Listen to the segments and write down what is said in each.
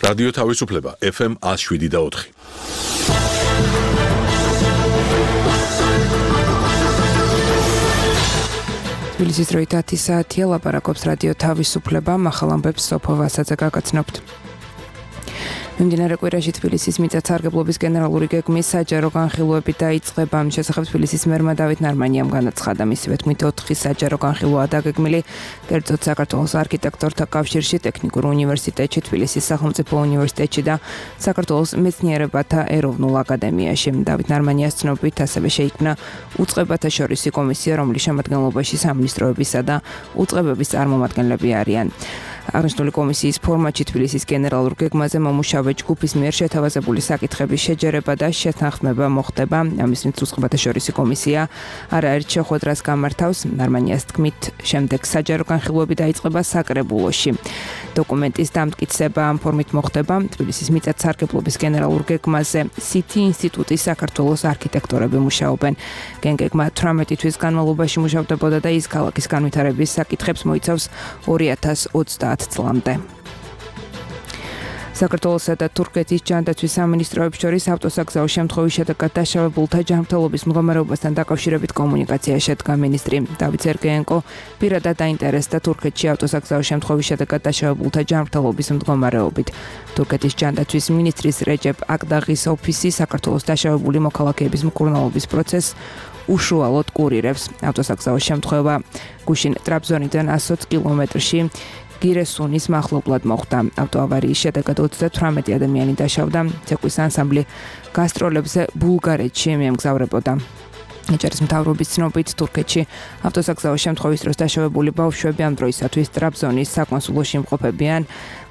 რადიო თავისუფლება FM 107.4. თბილისის დროით 10 საათია, ლაპარაკობს რადიო თავისუფლება, ახალ ამბებს სოფო ვასაძე გაგაცნობთ. მიმდინარე კვირაში თბილისის მიწათსარგებლობის გენერალური გეგმის საჯარო განხილვები დაიწყება. ამ შესახებ თბილისის მერმა დავით ნარმანიამ განაცხადა. მისივე თქმით 4 საჯარო განხილვაა დაგეგმილი, კერძოდ საქართველოს არქიტექტორთა კავშირში, ტექნიკურ უნივერსიტეტში, თბილისის სახელმწიფო უნივერსიტეტში და საქართველოს მეცნიერებათა ეროვნულ აკადემიაში. დავით ნარმანიას ცნობით, ასევე შეიქმნა უწყებათა შორისი კომისია, რომლის შემადგენლობაში სამინისტროებისა და უწყებების წარმომადგენლები არიან. აღნიშნული კომისიის ფორმატში თბილისის გენერალურ გეგმაზე მომუშავე ჯგუფის მიერ შეთავაზებული საკითხების შეჯერება და შეთანხმება მოხდება. ამის მით უწყებათა შორისი კომისია არაერთ შეხვედრას გამართავს. ნარმანიას თქმით, შემდეგ საჯარო განხილვები დაიწყება საკრებულოში. დოკუმენტის დამტკიცება ამ ფორმით მოხდება. თბილისის მიწათსარგებლობის გენერალურ გეგმაზე CT ინსტიტუტის საქართველოს არქიტექტორები მუშაობენ. გეგმა 18 თვის განმავლობაში მუშავდებოდა და ის ქალაქის განვითარების საკითხებს მოიცავს 2030 წლამდე. საქართველოსა და თურქეთის ჯანდაცვის სამინისტროებს შორის ავტოსაგზაო შემთხვევის შედეგად დაშავებულთა ჯანმრთელობის მდგომარეობასთან დაკავშირებით კომუნიკაცია შედგა. მინისტრი დავით სერგეენკო პირადად დაინტერესდა თურქეთში ავტოსაგზაო შემთხვევის შედეგად დაშავებულთა ჯანმრთელობის მდგომარეობით. თურქეთის ჯანდაცვის მინისტრის რეჯეპ აკდაღის ოფისი საქართველოს დაშავებული მოქალაქეების მკურნალობის პროცესს უშუალოდ კურირებს. ავტოსაგზაო შემთხვევა გუშინ ტრაბზონიდან 120 კილომეტრში გირესუნის მახლობლად მოხდა. ავტოავარიის შედეგად 38 ადამიანი დაშავდა. ცეკვის ანსამბლი გასტროლებზე ბულგარეთში მიემგზავრებოდა. ეჭერის მთავრობის ცნობით, თურქეთში ავტოსაგზაო შემთხვევის დროს დაშავებული ბავშვები ამ დროისათვის ტრაბზონის საკონსულოში იმყოფებიან.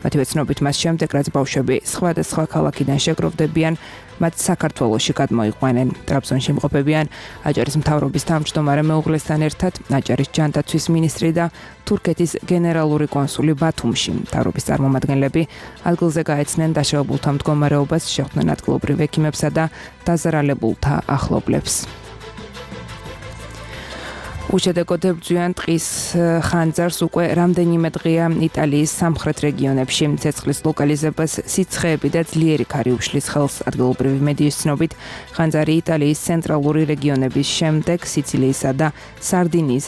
მათივე ცნობით, მას შემდეგ, რაც ბავშვები სხვადასხვა ქალაქიდან შეგროვდებიან, მათ საქართველოში გადმოიყვანენ. ტრაბზონში იმყოფებიან აჭარის მთავრობის თავმჯდომარე მეუღლესთან ერთად, აჭარის ჯანდაცვის მინისტრი და თურქეთის გენერალური კონსული ბათუმში. მთავრობის წარმომადგენლები ადგილზე გაეცნენ დაშავებულთა მდგომარეობას, შეხვდნენ ადგილობრივ ექიმებსა და დაზარალებულთა ახლობლებს. უშედეგოდ ებრძვიან ტყის ხანძარს უკვე რამდენიმე დღეა იტალიის სამხრეთ რეგიონებში. ცეცხლის ლოკალიზებას სიცხეები და ძლიერი ქარი უშლის ხელს. ადგილობრივი მედიის ცნობით, ხანძარი იტალიის ცენტრალური რეგიონების შემდეგ სიცილიისა და სარდინიის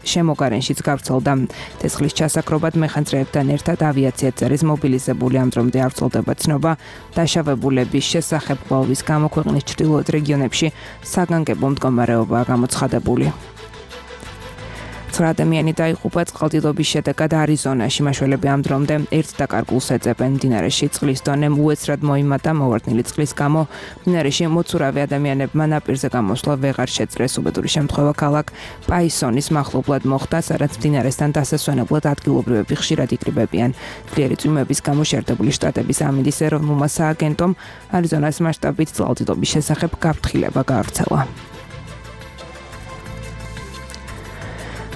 შემოგარენშიც გავრცელდა. ცეცხლის ჩასაქრობად მეხანძრეებთან ერთად ავიაციაც არის მობილიზებული. ამ დრომდე არ ვრცელდება ცნობა დაშავებულების შესახებ. კვლევის გამო ქვეყნის ჩრდილოეთ რეგიონებში საგანგებო მდგომარეობაა გამოცხადებული. 9 ადამიანი დაიღუპა წყალდიდობის შედეგად არიზონაში. მაშველები ამ დრომდე ერთ დაკარგულს ეძებენ. მდინარეში წყლის დონე უეცრად მოიმატა. მოვარდნილი წყლის გამო მდინარეში მოცურავე ადამიანებმა ნაპირზე გამოსვლა ვეღარ შეძლეს. უბედური შემთხვევა ქალაქ პაისონის მახლობლად მოხდა, სადაც მდინარესთან დასასვენებლად ადგილობრივები ხშირად იკრიბებიან. ძლიერი წვიმების გამო შეერთებული შტატების ამინდის ეროვნულმა სააგენტომ არიზონას მასშტაბით წყალდიდობის შესახებ გაფრთხილება გაავრცელა.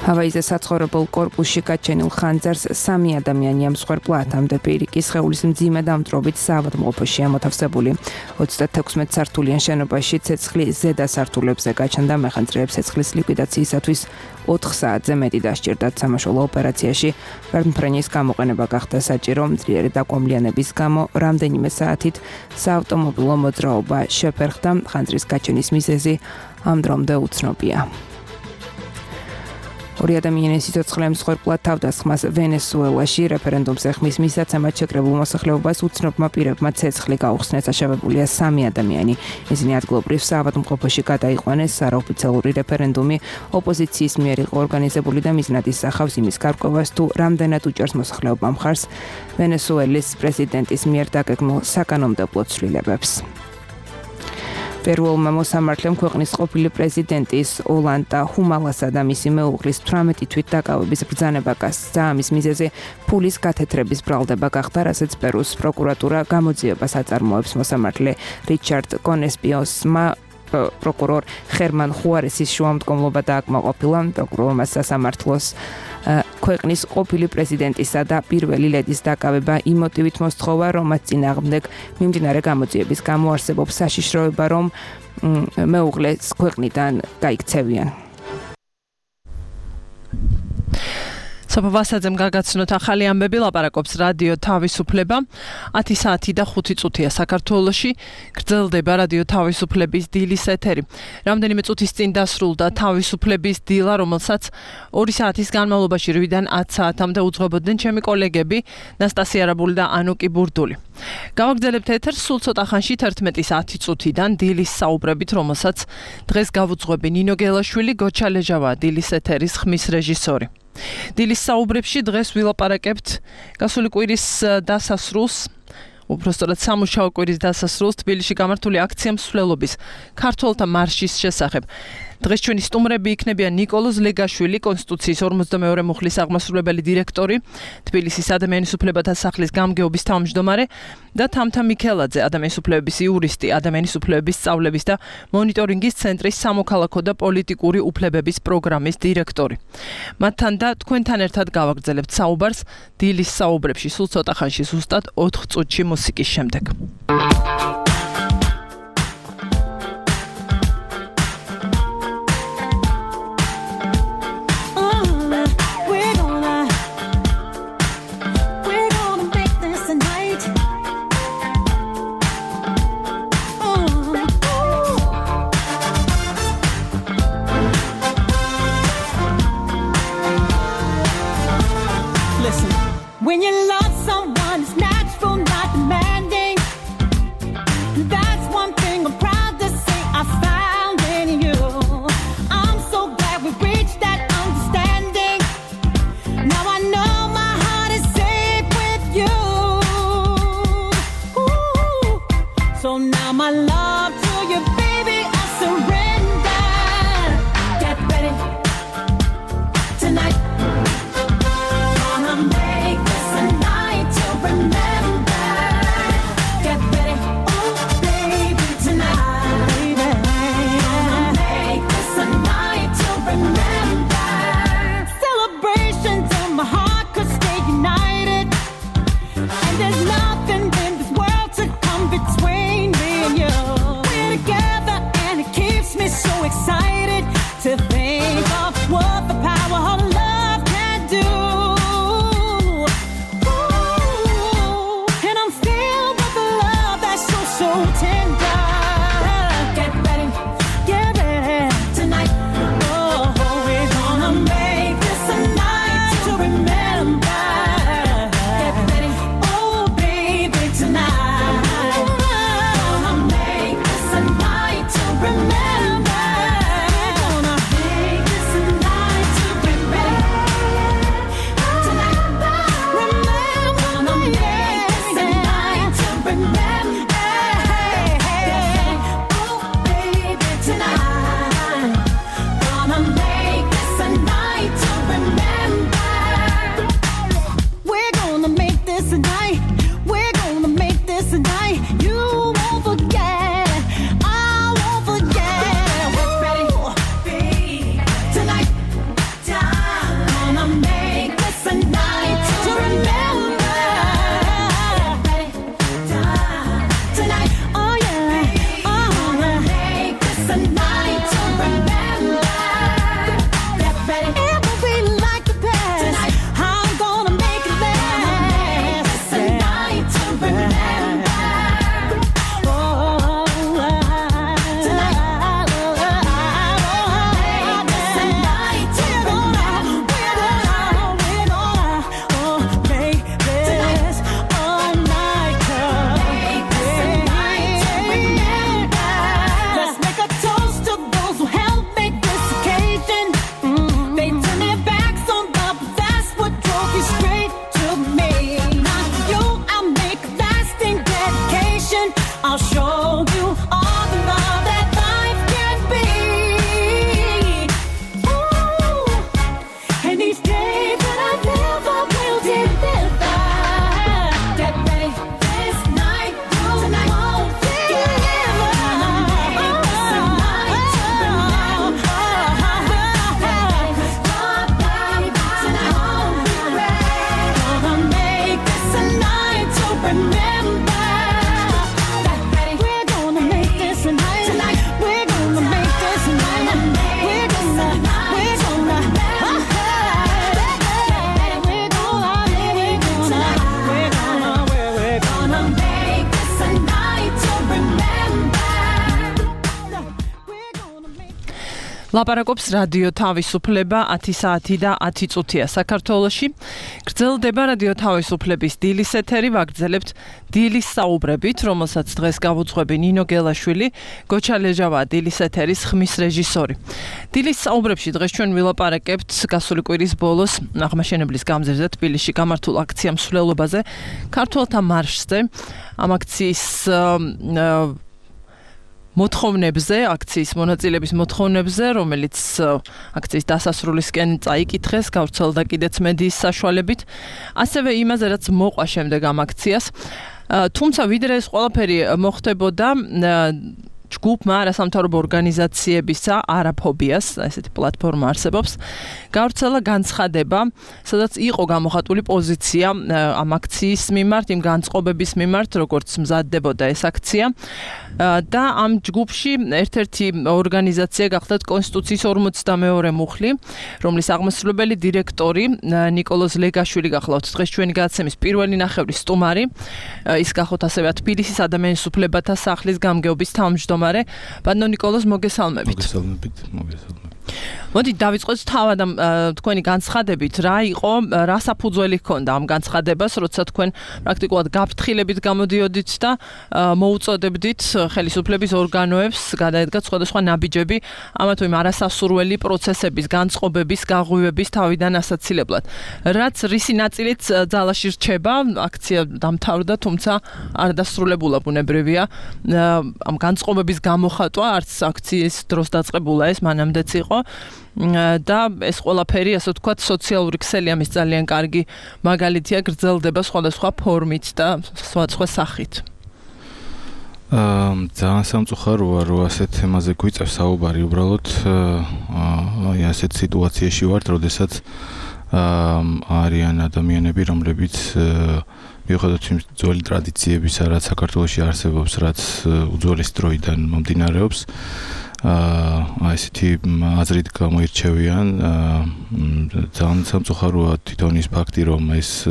ჰავაიზე საცხოვრებელ კორპუსში გაჩენილ ხანძარს 3 ადამიანი ამსხვერპლა. ათამდე პირიქის სხეულის მძიმე დამწვრობით საავადმყოფოშია მოთავსებული. 36 სართულიან შენობაში ცეცხლი ზედა სართულებზე გაჩნდა. მეხანძრეებს ცეცხლის ლიკვიდაციისათვის 4 საათზე მეტი დასჭირდათ. სამაშველო ოპერაციაში ვერტმფრენის გამოყენება გახდა საჭირო. ძლიერი დაკომლიანების გამო რამდენიმე საათით საავტომობილო მოძრაობა შეფერხდა. ხანძრის გაჩენის მიზეზი ამ დრომდე უცნობია. 2 ადამიანის სიცოცხლე მსხვერპლა თავდასხმას ვენესუელაში. რეფერენდუმს ეხმის მისაცემად შეკრებულ მოსახლეობას უცნობმა პირებმა ცეცხლი გაუხსნეს. დაშავებულია 3 ადამიანი. ისინი ადგილობრივ საავადმყოფოში გადაიყვანეს. არაოფიციალური რეფერენდუმი ოპოზიციის მიერ იყო ორგანიზებული და მიზნად ისახავს იმის გარკვევას, თუ რამდენად უჭერს მოსახლეობამ მხარს ვენესუელის პრეზიდენტის მიერ დაგეგმილ საკანონმდებლო ცვლილებებს. პერუელმა მოსამართლემ ქვეყნის ყოფილი პრეზიდენტის ოლანტა ჰუმალასა და მისი მეუღლის 18 თვით დაკავების ბრძანება გასცა. ამის მიზეზი ფულის გათეთრების ბრალდება გახდა, რასაც პერუს პროკურატურა გამოძიებას აწარმოებს. მოსამართლე რიჩარდ კონესპიოსმა პროკურორ ხერმან ხუარესის შუამდგომლობა დააკმაყოფილა. პროკურორმა სასამართლოს ქვეყნის ყოფილი პრეზიდენტისა და პირველი ლედის დაკავება იმ მოტივით მოსთხოვა, რომ მათ წინააღმდეგ მიმდინარე გამოძიების გამო არსებობს საშიშროება, რომ მეუღლეს ქვეყნიდან გაიქცევიან. სოფო ვასაძემ გაგაცნოთ ახალი ამბები, ლაპარაკობს რადიო თავისუფლება. 10 საათი და 5 წუთია საქართველოში. გრძელდება რადიო თავისუფლების დილის ეთერი. რამდენიმე წუთის წინ დასრულდა თავისუფლების დილა, რომელსაც 2 საათის განმავლობაში 8-დან 10 საათამდე უძღვებოდნენ ჩემი კოლეგები ნასტასია რაბული და ანუკი ბურდული. გავაგრძელებთ ეთერს სულ ცოტა ხანში 11-ის 10 წუთიდან დილის საუბრებით, რომელსაც დღეს გავუძღვები ნინო გელაშვილი, გოჩა ლეჟავა, დილის ეთერის ხმის რეჟისორი. დილის საუბრებში დღეს ვილაპარაკებთ გასული კვირის დასასრულს, უпростоრად სამუშაო კვირის დასასრულს თბილისში გამართული აქცია მსვლელობის ქართველთა მარშის შესახებ. დღეს ჩვენი სტუმრები იქნებიან ნიკოლოზ ლეგაშვილი, კონსტიტუციის 42 მუხლის აღმასრულებელი დირექტორი, თბილისის ადამიანის უფლებათა სახლის გამგეობის თავმჯდომარე და თამთა მიქელაძე, ადამიანის უფლებების იურისტი, ადამიანის უფლებების სწავლების და მონიტორინგის ცენტრის სამოქალაქო და პოლიტიკური უფლებების პროგრამის დირექტორი. მათთან და თქვენთან ერთად გავაგრძელებთ საუბარს დილის საუბრებში სულ ცოტა ხანში, ზუსტად 4 წუთში მუსიკის შემდეგ. When you love someone, it's natural, not demanding. That's one thing I'm proud to say I found in you. I'm so glad we reached that understanding. Now I know my heart is safe with you. Ooh. So now my love to you, baby, I surrender. Get ready tonight. Excited to think of what the power of love can do. Ooh, and I'm filled with the love that's so tender. Get ready tonight. Oh, we're gonna make this a night to remember. Get ready, oh baby, tonight. Gonna make this a night to remember. ლაპარაკობს რადიო თავისუფლება 10 საათი და 10 წუთია საქართველოში. გრძელდება რადიო თავისუფლების დილის ეთერი, ვაგრძელებთ დილის საუბრებით, რომელსაც დღეს გავუძღვები ნინო გელაშვილი, გოჩა ლეჟავა დილის ეთერის ხმის რეჟისორი. დილის საუბრებში დღეს ჩვენ ვილაპარაკებთ გასული კვირის ბოლოს აღმაშენებლის გამზირზე თბილისში გამართულ აქცია მსვლელობაზე, ქართველთა მარშზე, ამ აქციის მოთხოვნებზე, აქციის მონაწილეების მოთხოვნებზე, რომელიც აქციის დასასრულისკენ წაიკითხეს, გავრცელდა კიდეც მედიის საშუალებით, ასევე იმაზე, რაც მოყვა შემდეგ ამ აქციას. თუმცა ვიდრე ეს ყველაფერი მოხდებოდა, ჯგუფმა არასამთავრობო ორგანიზაციებისა არაფობიას, ესეთი პლატფორმა არსებობს, გავრცელა განცხადება, სადაც იყო გამოხატული პოზიცია ამ აქციის მიმართ, იმ განწყობების მიმართ, როგორც მზადდებოდა ეს აქცია. და ამ ჯგუფში ერთ-ერთი ორგანიზაცია გახლდათ კონსტიტუციის 42 მუხლი, რომლის აღმასრულებელი დირექტორი ნიკოლოზ ლეგაშვილი გახლავთ დღეს ჩვენი გადაცემის პირველი ნახევრის სტუმარი, ის გახლავთ ასევე თბილისის ადამიანის უფლებათა სახლის გამგეობის თავმჯდომარე. ბატონო ნიკოლოზ, მოგესალმებით. მოგესალმებით. მოდი დავიწყოთ თავად ამ თქვენი განცხადებით, რა იყო, რა საფუძველი ჰქონდა ამ განცხადებას, როცა თქვენ პრაქტიკულად გაფრთხილებით გამოდიოდით და მოუწოდებდით ხელისუფლების ორგანოებს გადაედგათ სხვადასხვა ნაბიჯები ამა თუ იმ არასასურველი პროცესების, განწყობების, გაღვივების თავიდან ასაცილებლად. რაც რისი ნაწილით ძალაში რჩება, აქცია დამთავრდა, თუმცა არ დასრულებულა ბუნებრივია. ამ განწყობების გამოხატვა არც აქციის დროს დაწყებულა ეს, მანამდეც იყო. და ეს ყველაფერი, ასე ვთქვათ, სოციალური ქსელი ამის ძალიან კარგი მაგალითია, გრძელდება სხვადასხვა ფორმით და სხვადასხვა სახით. ძალიან სამწუხაროა, რომ ასეთ თემაზე გვიწევს საუბარი, უბრალოდ აი ასეთ სიტუაციაში ვართ, როდესაც არიან ადამიანები, რომლებიც მიუხედავად იმ ძველი ტრადიციებისა, რაც საქართველოში არსებობს, რაც უძველესი დროიდან მომდინარეობს, ესეთი აზრით გამოირჩევიან. ძალიან სამწუხაროა თვითონ ის ფაქტი, რომ ეს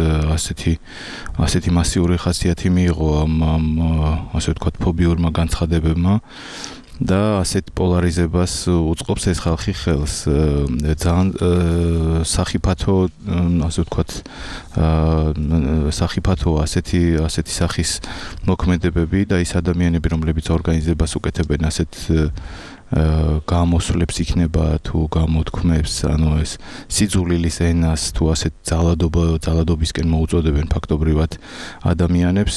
ასეთი მასიური ხასიათი მიიღო ამ ასე ვთქვათ ფობიურმა განცხადებებმა და ასეთ პოლარიზებას უწყობს ეს ხალხი ხელს. ძალიან სახიფათო, ასე ვთქვათ, სახიფათოა ასეთი სახის მოქმედებები და ის ადამიანები, რომლებიც ორგანიზებას უკეთებენ ასეთ გამოსვლებს იქნება თუ გამოთქმებს, ანუ ეს სიძულილის ენას თუ ასეთ ძალადობისკენ მოუწოდებენ ფაქტობრივად ადამიანებს,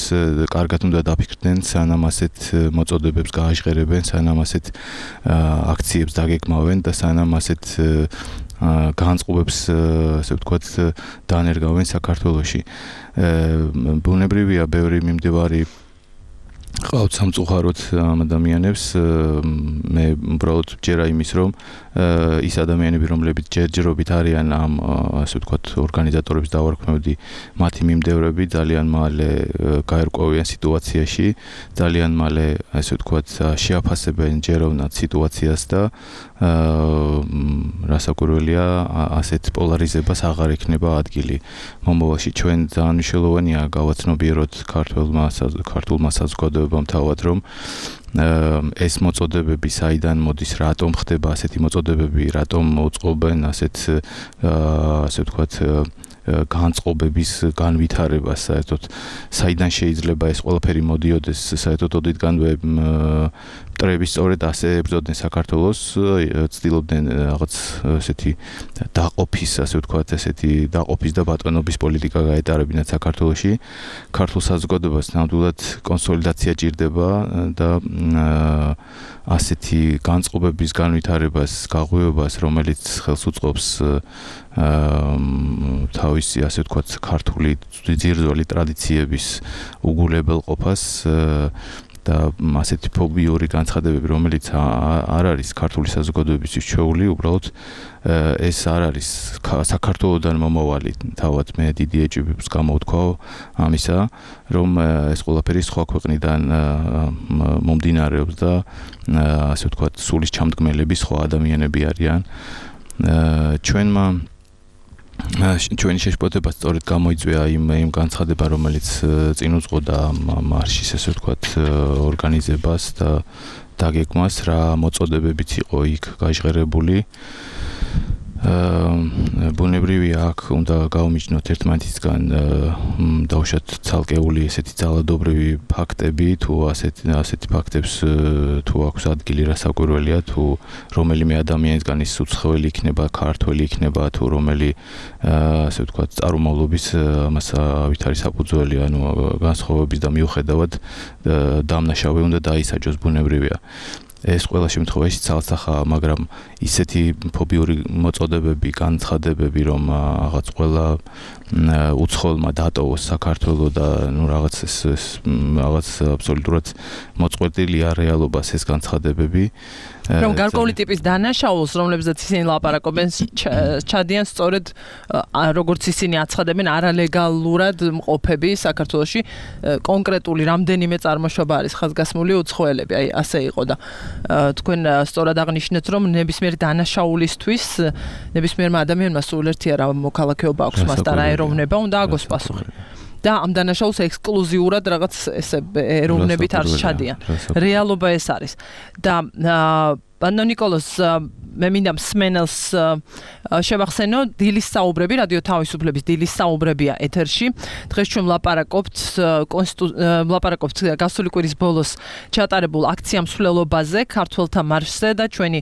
კარგად უნდა დაფიქრდნენ, სანამ ასეთ მოწოდებებს გააჟღერებენ, სანამ ასეთ აქციებს დაგეგმავენ და სანამ ასეთ განწყობებს, ასე ვთქვათ, დაანერგავენ საქართველოში. ბუნებრივია, ბევრი მიმდევარი ყავთ სამწუხაროდ ამ ადამიანებს. მე უბრალოდ ჯერა იმის, რომ ის ადამიანები, რომლებიც ჯერჯერობით არიან ამ, ასე ვთქვათ, ორგანიზატორების დავარქმევდი, მათი მიმდევრები ძალიან მალე გაერკვევიან სიტუაციაში, ძალიან მალე, ასე ვთქვათ, შეაფასებენ ჯეროვნად სიტუაციას და რასაკვირველია, ასეთ პოლარიზებას აღარ ექნება ადგილი. მომავალში ჩვენ ძალიან მნიშვნელოვანია გავაცნობიეროთ ქართულმა საზოგადოებამ თავად, რომ ეს მოწოდებები საიდან მოდის, რატომ ხდება ასეთი მოწოდებები, რატომ მოწყობენ ასე ვთქვათ განწყობების განვითარებას, საერთოდ საიდან შეიძლება ეს ყველაფერი მოდიოდეს, საერთოდ ოდითგანვე მტრები სწორედ ასე ებრძოდნენ საქართველოს, ცდილობდნენ რაღაც ესეთი დაყოფის, ასე ვთქვათ, ესეთი დაყოფის და ბატონობის პოლიტიკა გაეტარებინათ საქართველოში. ქართულ საზოგადოებას ნამდვილად კონსოლიდაცია ჭირდება და ასეთი განწყობების განვითარებას, გაღვივებას, რომელიც ხელს უწყობს თავისი, ასე ვთქვათ, ქართული ძირძველი ტრადიციების უგულებელყოფას და ასეთი ფობიური განცხადებები, რომელიც არ არის ქართული საზოგადოების ჩვეული, უბრალოდ ეს არ არის საქართველოსდან მომავალი. თავად მე დიდი ეჭვი გამოვთქვა ამისა, რომ ეს ყველაფერი სხვა ქვეყნიდან მომდინარეობს და ასე ვთქვათ, სულის ჩამდგმელები სხვა ადამიანები არიან. ჩვენი შეშფოთება სწორედ გამოიწვია იმ განცხადება, რომელიც წინ უძღოდა ამ მარშის, ასე ვთქვათ, ორგანიზებას და დაგეგმას რა მოწოდებებიც იყო იქ გაჟღერებული. ბუნებრივია აქ უნდა გავუმიჯნოთ ერთმანეთისგან დავუშვათ ცალკეული ესეთი ძალადობრივი ფაქტები თუ ასეთი ფაქტებს თუ აქვს ადგილი რასაკვირველია თუ რომელიმე ადამიანისგან ის უცხოელი იქნება ქართველი იქნება თუ რომელი ასე ვთქვათ წარმომავლობის ამას ავით არის საფუძველი ანუ განსხვავების და მიუხედავად დამნაშავე უნდა დაისაჯოს ბუნებრივია ეს ყველა შემთხვევაში ცალსახაა, მაგრამ ისეთი ფობიური მოწოდებები, განცხადებები, რომ რაღაც ყველა უცხოელმა დატოვოს საქართველო და ნუ რაღაც აბსოლუტურად მოწყვეტილია რეალობას ეს განცხადებები. რომ გარკვეული ტიპის დანაშაულს, რომლებზეც ისინი ლაპარაკობენ, ჩადიან სწორედ როგორც ისინი აცხადებენ არალეგალურად მყოფები საქართველოში კონკრეტული რამდენიმე წარმოშობა არის ხაზგასმული უცხოელები, აი ასე იყო და თქვენ სწორად აღნიშნეთ, რომ ნებისმიერ დანაშაულისთვის ნებისმიერმა ადამიანმა სულ ერთი არა მოქალაქეობა აქვს მას და რა ეროვნება უნდა აგოს პასუხი. და ამ დანაშაულს ექსკლუზიურად რაღაც ესე ეროვნებით არ ჩადიან. რეალობა ეს არის. და პანო ნიკოლოზ მე მინდა მსმენელს შევახსენო დილის საუბრები რადიო თავისუფლების დილის საუბრებია ეთერში დღეს ჩვენ ვლაპარაკობთ გასული კვირის ბოლოს ჩატარებულ აქცია მსვლელობაზე ქართველთა მარშზე და ჩვენი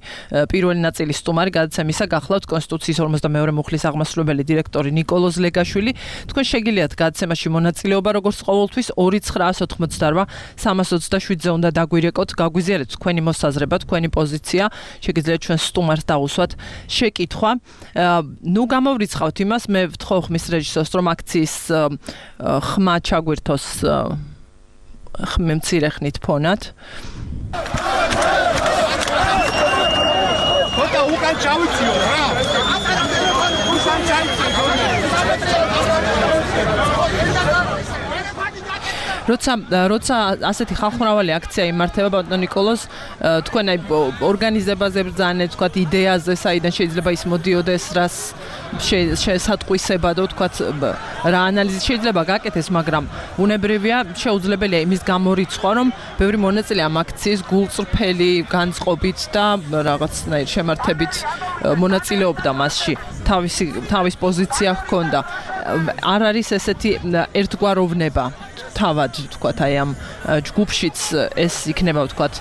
პირველი ნაწილის სტუმარი გადაცემისა გახლავთ კონსტიტუციის 52 მუხლის აღმასრულებელი დირექტორი ნიკოლოზ ლეგაშვილი თქვენ შეგიძლიათ გადაცემაში მონაწილეობა როგორც ყოველთვის 2988 327-ზე უნდა დაგვირეკოთ გაგვიზიარეთ თქვენი მოსაზრება თქვენი პოზიცია შეგიძლიათ ჩვენ სტუმარს დაუსვათ შეკითხვა. ნუ გამოვრიცხავთ იმას, მე ვთხოვ ხმის რეჟისორს, რომ აქციის ხმა ჩაგვირთოს მცირე ხნით ფონად. ხოდა უკან ჩავიწიო რა. უკან ჩავიწიო. როცა ასეთი ხალხმრავალი აქცია იმართება ბატონო ნიკოლოზ თქვენ აი ორგანიზებაზე ბრძანეთ თქვათ იდეაზე საიდან შეიძლება ის მოდიოდეს რას შესატყვისებადო თქვათ რა ანალიზი შეიძლება გაკეთეს მაგრამ უნებრივია შეუძლებელია იმის გამორიცხვა რომ ბევრი მონაწილე ამ აქციის გულწრფელი განწყობით და რაღაცნაირ შემართებით მონაწილეობდა მასში თავის პოზიცია ჰქონდა არ არის ესეთი ერთგვაროვნება თავად თქვათ აი ამ ჯგუფშიც ეს იქნება თქვათ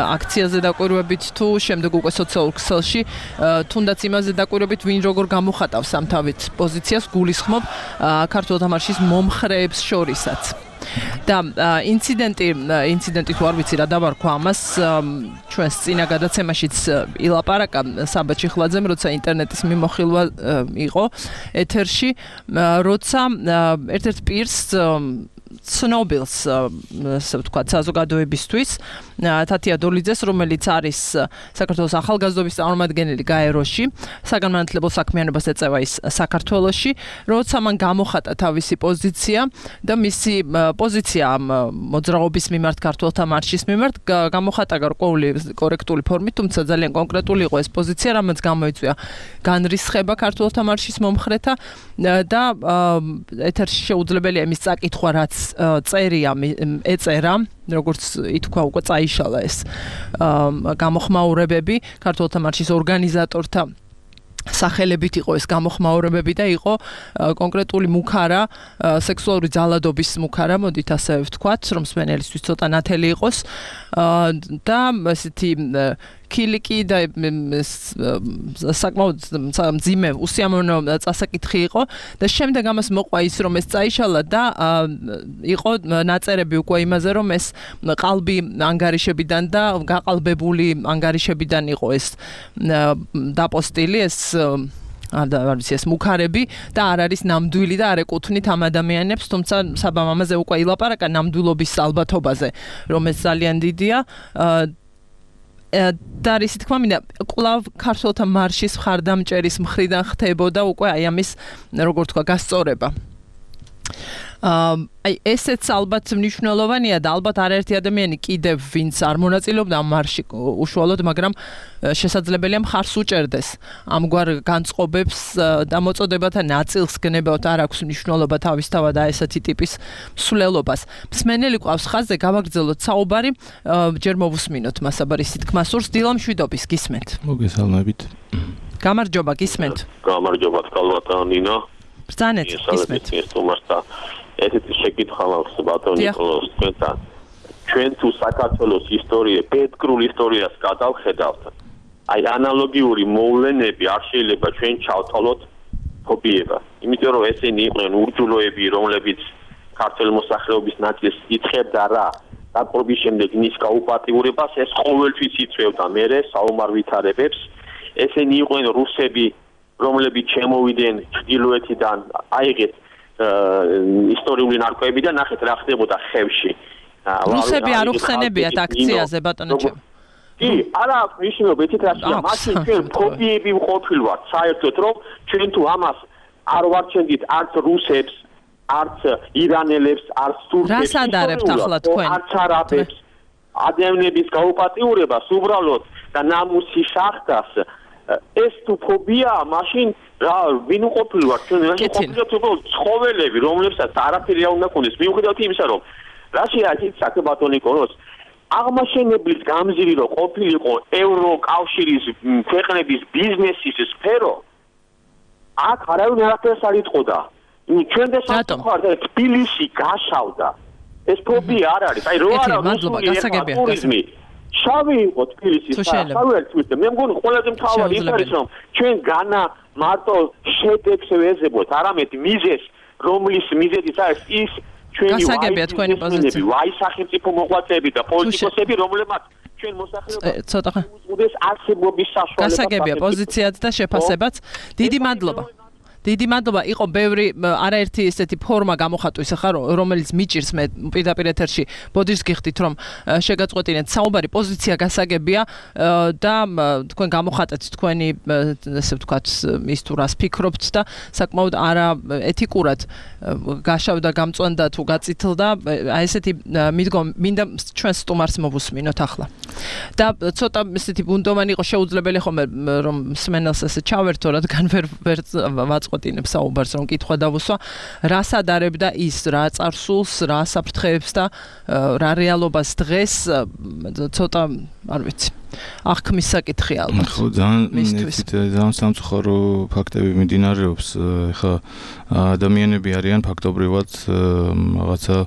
აქციაზე დაკვირვებით თუ შემდეგ უკვე სოციალურ ქსელში თუნდაც იმაზე დაკვირვებით ვინ როგორ გამოხატავს ამ თავით პოზიციას გულისხმობ ქართულთა მარშის მომხრეებს შორისაც და ინციდენტი თუ არ ვიცი რა დავარქვა ამას ჩვენს წინა გადაცემაშიც ილაპარაკა საბა ჩიხლაძემ როცა ინტერნეტის მიმოხილვა იყო ეთერში როცა ერთ-ერთ პირს ცნობილს ასე ვთქვათ საზოგადოებისთვის თათია დოლიძეს რომელიც არის საქართველოს ახალგაზრდობის წარმომადგენელი გაეროში საგანმანათლებლო საქმიანობას ეწევა ის საქართველოში როცა მან გამოხატა თავისი პოზიცია და მისი პოზიცია მოძრაობის მიმართ ქართველთა მარშის მიმართ გამოხატა გარკვეული კორექტული ფორმით თუმცა ძალიან კონკრეტული იყო ეს პოზიცია რამაც გამოიწვია განრისხება ქართველთა მარშის მომხრეთა და ეთერში შეუძლებელია იმის წაკითხვა რაც წერია ეწერა როგორც ითქვა უკვე წაიშალა ეს გამოხმაურებები ქართულთა მარშის ორგანიზატორთა სახელებით იყო ეს გამოხმაურებები და იყო კონკრეტული მუქარა სექსუალური ძალადობის მუქარა მოდით ასე ვთქვათ რომ მსმენელისთვის ცოტა ნათელი იყოს და ესეთი კილიკი და საკმაოდ მძიმე უსიამოვნო წასაკითხი იყო და შემდეგ ამას მოყვა ის რომ ეს წაიშალა და იყო ნაწერები უკვე იმაზე რომ ეს ყალბი ანგარიშებიდან და გაყალბებული ანგარიშებიდან იყო ეს დაპოსტილი ეს არ ვიცი ეს მუქარები და არ არის ნამდვილი და არ ეკუთვნით ამ ადამიანებს თუმცა საბამ ამაზე უკვე ილაპარაკა ნამდვილობის ალბათობაზე რომ ეს ძალიან დიდია და ისე თქვა მინდა კვლავ ქართულთა მარშის მხარდამჭერის მხრიდან ხდებოდა უკვე აი ამის როგორ თქვა გასწორება აი ესეც ალბათ მნიშვნელოვანია და ალბათ არაერთი ადამიანი კიდევ ვინც არ მონაწილეობდა ამ მარშში უშუალოდ, მაგრამ შესაძლებელია მხარს უჭერდეს ამგვარ განწყობებს და მოწოდებათა ნაწილს გნებავთ არ აქვს მნიშვნელობა თავისთავად ესეთი ტიპის მსვლელობას. მსმენელი ყავს ხაზზე, გავაგრძელოთ საუბარი, ჯერ მოვუსმინოთ მასაბარის სითქმასურს. დილა მშვიდობის, გისმენთ. მოგესალმებით. გამარჯობა, გისმენთ. გამარჯობა, კალვატა ნინა. ბრძანეთ, გისმენთ. ესეთი შეკითხვა მაქვს ბატონ ნიკოლოზ თქვენთან. ჩვენ თუ საქართველოს ისტორია, პეტრულ ისტორიას გადავხედავთ, აი ანალოგიური მოვლენები არ შეიძლება ჩვენ ჩავთვალოთ ფობიება. იმიტომ რომ ესენი იყვნენ ურჯულოები, რომლებიც ქართული მოსახლეობის ნაწილს იწყებდა რა დაპყრობის შემდეგ მის გაუპატიურებას, ეს ყოველთვის იწვევდა მერე საომარ ვითარებებს. ესენი იყვნენ რუსები, რომლებიც შემოვიდნენ ჩრდილოეთიდან, აიღეთ ისტორიული ნარკვევები და ნახეთ რა ხდებოდა ხევში. რუსები არ უხსენებიათ აქციაზე ბატონო ჩემო. კი, არა აქვს მნიშვნელობა, ეთით რაშია, მაშინ ჩვენ ფობიები ვყოფილვართ საერთოდ, რომ ჩვენ თუ ამას არ ვარჩენდით არც რუსებს, არც ირანელებს, არც თურქებს, რას ადარებთ ახლა თქვენ? არც არაბებს, ადამიანების გაუპატიურებას უბრალოდ და ნამუსი შახტას ეს თუ ფობია, მაშინ რა ვინ უყოფილვართ ჩვენ რაში ყოფილობთ უბრალოდ ცხოველები, რომლებსაც არაფერი არ უნდა ქონდეს. მიუხედავად იმისა, რომ რაშია ის საკებატონი ნიკოლოზ აღმაშენებლის გამზირი რომ ყოფილიყო ევროკავშირის ქვეყნების ბიზნესის სფერო, აქ არავინ არაფერს არ იტყოდა. ჩვენ და საკუთარ თბილისში გაშავდა. ეს ფობია არ არის. აი რო არა რუსული ტურიზმი შავი იყო თბილისის საერთოდ მე მგონი ყველაზე მთავარი ის არის რომ ჩვენ განა მარტო შედეგს ვეზებოთ, არამედ მიზეს, რომლის მიზეზიც არის ის ჩვენი ვაი სახელმწიფო მოღვაწეები და პოლიტიკოსები, რომლებმაც ჩვენ მოსახლეობას ცოტა უზღუდეს არსებობის საშუალებას. გასაგებია პოზიციაც და შეფასებაც. დიდი მადლობა. დიდი მადლობა. იყო ბევრი არაერთი ესეთი ფორმა გამოხატვის ახლა რომელიც მიჭირს მე პირდაპირ ეთერში ბოდიშს გიხდით რომ შეგაწყვეტინეთ საუბარი პოზიცია გასაგებია და თქვენ გამოხატეთ თქვენი ესე ვთქვათ ის თუ რას ფიქრობთ და საკმაოდ არა ეთიკურად გაშავდა გამწვანდა თუ გაწითლდა აი ესეთი მინდა ჩვენ სტუმარს მოვუსმინოთ ახლა და ცოტა ესეთი ბუნდოვანი იყო შეუძლებელი ხომ რომ სმენელს ესე ჩავერთო რადგან ვერ ვაწყობ საუბარს რომ კითხვა დავუსვა რას ადარებდა ის რა წარსულს რა საფრთხეებს და რა რეალობას დღეს ცოტა არ ვიცი აღქმის საკითხი ალბათ ხო ძალიან სამწუხარო ფაქტები მიმდინარეობს ეხლა ადამიანები არიან ფაქტობრივად რაღაცა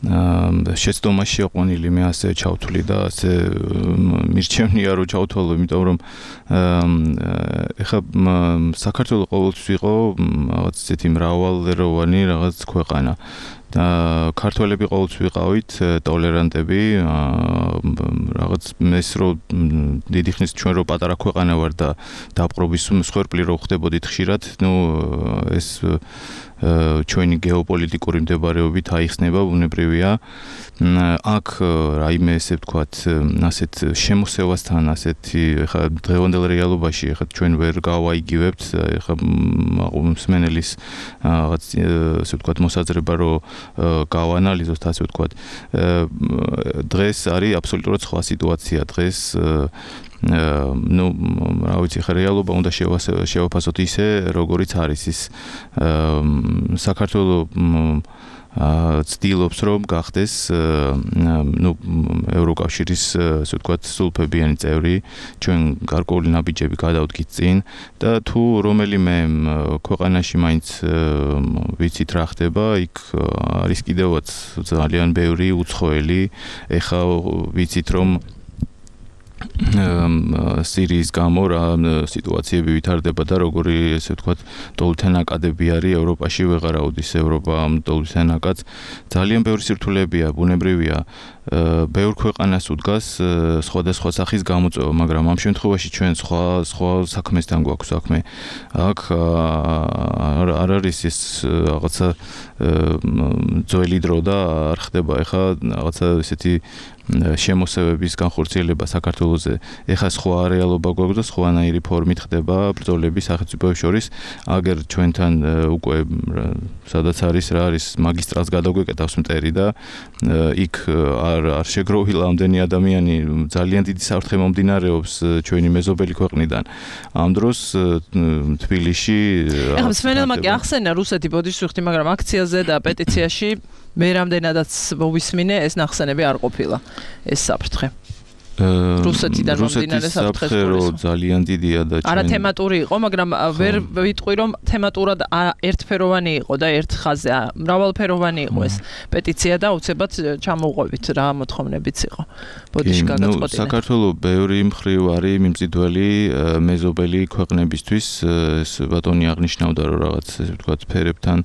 შეცდომაში აყვანილი მე ასე ჩავთვლი და ასე მირჩევნია რომ ჩავთვალო იმიტომ რომ ეხლა საქართველოს ყოველთვის იყო რაღაც ისეთი მრავალეროვანი რაღაც ქვეყანა და ქართველები ყოველთვის ვიყავით ტოლერანტები რაღაც ეს რომ დიდი ხნის ჩვენ რო პატარა ქვეყანა ვარ და დაპყრობის მსხვერპლი რო ხდებოდით ხშირად ნუ ეს ჩვენი გეოპოლიტიკური მდებარეობით აიხსნება ბუნებრივია აქ რაიმე ესე ვთქვათ ასეთ შემოსევასთან ასეთი ხა დღევანდელ რეალობაში ხა ჩვენ ვერ გავაიგივებთ ხა მსმენელის რაღაც ესე ვთქვათ მოსაზრება რომ გავანალიზოთ ასე ვთქვათ დღეს არის აბსოლუტურად სხვა სიტუაცია დღეს ну, რა ვიცი, ხა რეალობა უნდა შევაფასოთ ისე, როგორიც არის ის საქართველოს ცდილობს რომ გახდეს ну ევროკავშირის ასე ვთქვათ სულფებიანი წევრი ჩვენ გარკვეული ნაბიჯები გადავდგით წინ და თუ რომელიმე ქვეყანაში მაინც ვიცით რა ხდება იქ არის კიდევაც ძალიან ბევრი უცხოელი ეხა ვიცით რომ სირიის გამო რა სიტუაციები ვითარდება და როგორი ესე ვთქვათ დოლთენაკადები არის ევროპაში ვეღარაუდის ევროპა დოლთენაკადს ძალიან ბევრი სირთულეებია ბუნებრივია ბევრ ქვეყანას უდგას სხვადასხვა სახის გამოწვევა მაგრამ ამ შემთხვევაში ჩვენ სხვა საქმესთან გვაქვს საქმე აქ არ არის ეს რაღაცა ძველი დრო და არ ხდება ეხა რაღაცა ესეთი შემოსევების განხორციელება საქართველოზე ეხლა სხვა რეალობა გვაქვს და სხვანაირი ფორმით ხდება ბრძოლები სახელმწიფოებს შორის აგერ ჩვენთან უკვე სადაც არის რა არის მაგისტრალს გადაგვეკეთავს მტერი და იქ არ შეგროვილა ამდენი ადამიანი ძალიან დიდი საფრთხე მომდინარეობს ჩვენი მეზობელი ქვეყნიდან ამ დროს თბილისში ეხლა მსმენელმა კი ახსენა რუსეთი ბოდიშს მაგრამ აქციაზე და პეტიციაში მე რამდენადაც მოვისმინე ეს ნახსენები არ ყოფილა ეს საფრთხე რუსეთიდან მომდინარე საფრთხე ძალიან დიდია და არა თემატური იყო მაგრამ ვერ ვიტყვი რომ თემატურად ერთფეროვანი იყო და ერთ ხაზზე მრავალფეროვანი იყო ეს პეტიცია და უცებად ჩამოვყვებით რა მოთხოვნებიც იყო ბოდიში გაგაწყვეტინა საქართველოს ბევრი მხრივ არის მიმზიდველი მეზობელი ქვეყნებისთვის ეს ბატონი აღნიშნავდა რომ რაღაც ესე ვთქვათ ფერებთან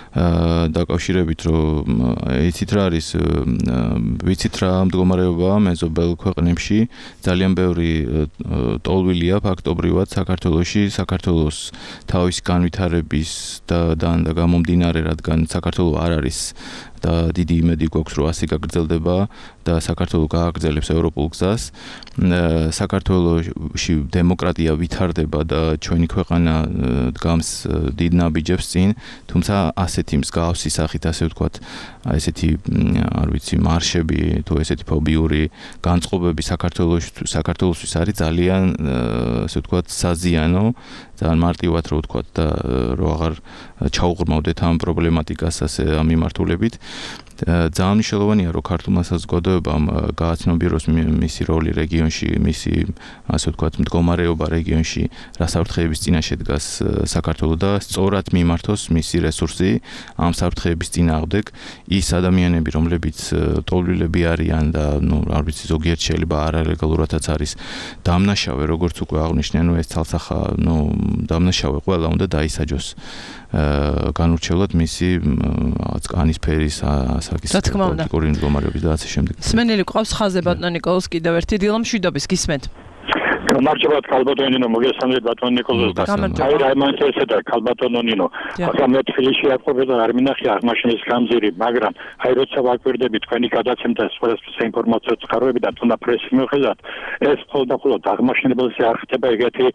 დაკავშირებით რომ იცით რა არის ვიცით რა მდგომარეობაა მეზობელ ქვეყნებში ძალიან ბევრი ტოლვილია ფაქტობრივად საქართველოში საქართველოს თავის განვითარების და გამომდინარე რადგან საქართველოს არ არის და დიდი იმედი გვაქვს რომ ასე გაგრძელდება და საქართველოს გააგრძელებს ევროპულ გზას საქართველოში დემოკრატია ვითარდება და ჩვენი ქვეყანა დგამს დიდ ნაბიჯებს წინ თუმცა ასეთი მსგავსი სახით ასე ვთქვათ ესეთი არ ვიცი მარშები თუ ესეთი ფობიური განწყობები საქართველოსთვის არის ძალიან ასე ვთქვათ საზიანო ძალიან მარტივად რო ვთქვათ და რო აღარ ჩაუღრმავდეთ ამ პრობლემატიკას ასე ამ მიმართულებით ძალიან მნიშვნელოვანია რომ ქართულმა საზოგადოებამ გააცნობიეროს მისი როლი რეგიონში მისი ასე ვთქვათ მდგომარეობა რეგიონში რა საფრთხეების წინაშე დგას საქართველო და სწორად მიმართოს მისი რესურსი ამ საფრთხეების წინააღმდეგ ის ადამიანები რომლებიც ტოლვილები არიან და ნუ არ ვიცი ზოგიერთ შეიძლება არალეგალურადაც არის დამნაშავე როგორც უკვე აღნიშნე ნუ ეს თალსახა ნუ დამნაშავე ყველა უნდა დაისაჯოს განურჩევლად მისი კანის ფერის ასაკის პოლიტიკური მდგომარეობის და ასე შემდეგ. სმენელი ყავს ხაზე ბატონ ნიკოლოზ კიდევ ერთი დილა მშვიდობის გისმენთ. გამარჯობა ქალბატონინო მოგესალმებით ბატონ ნიკოლოზ და აი რაიმანტესა და ქალბატონინო ახლა მე თბილისში აყვები და არ მინახი აღმაშენის გამზირი მაგრამ აი როცა ვაკვირდები თქვენი გადაცემდა სხვადასხვა ინფორმაციო წყაროები და თუნდა პრესი მიხედავთ ეს მხოლოდ აღმაშენებელზე არ ხდება ეგეთი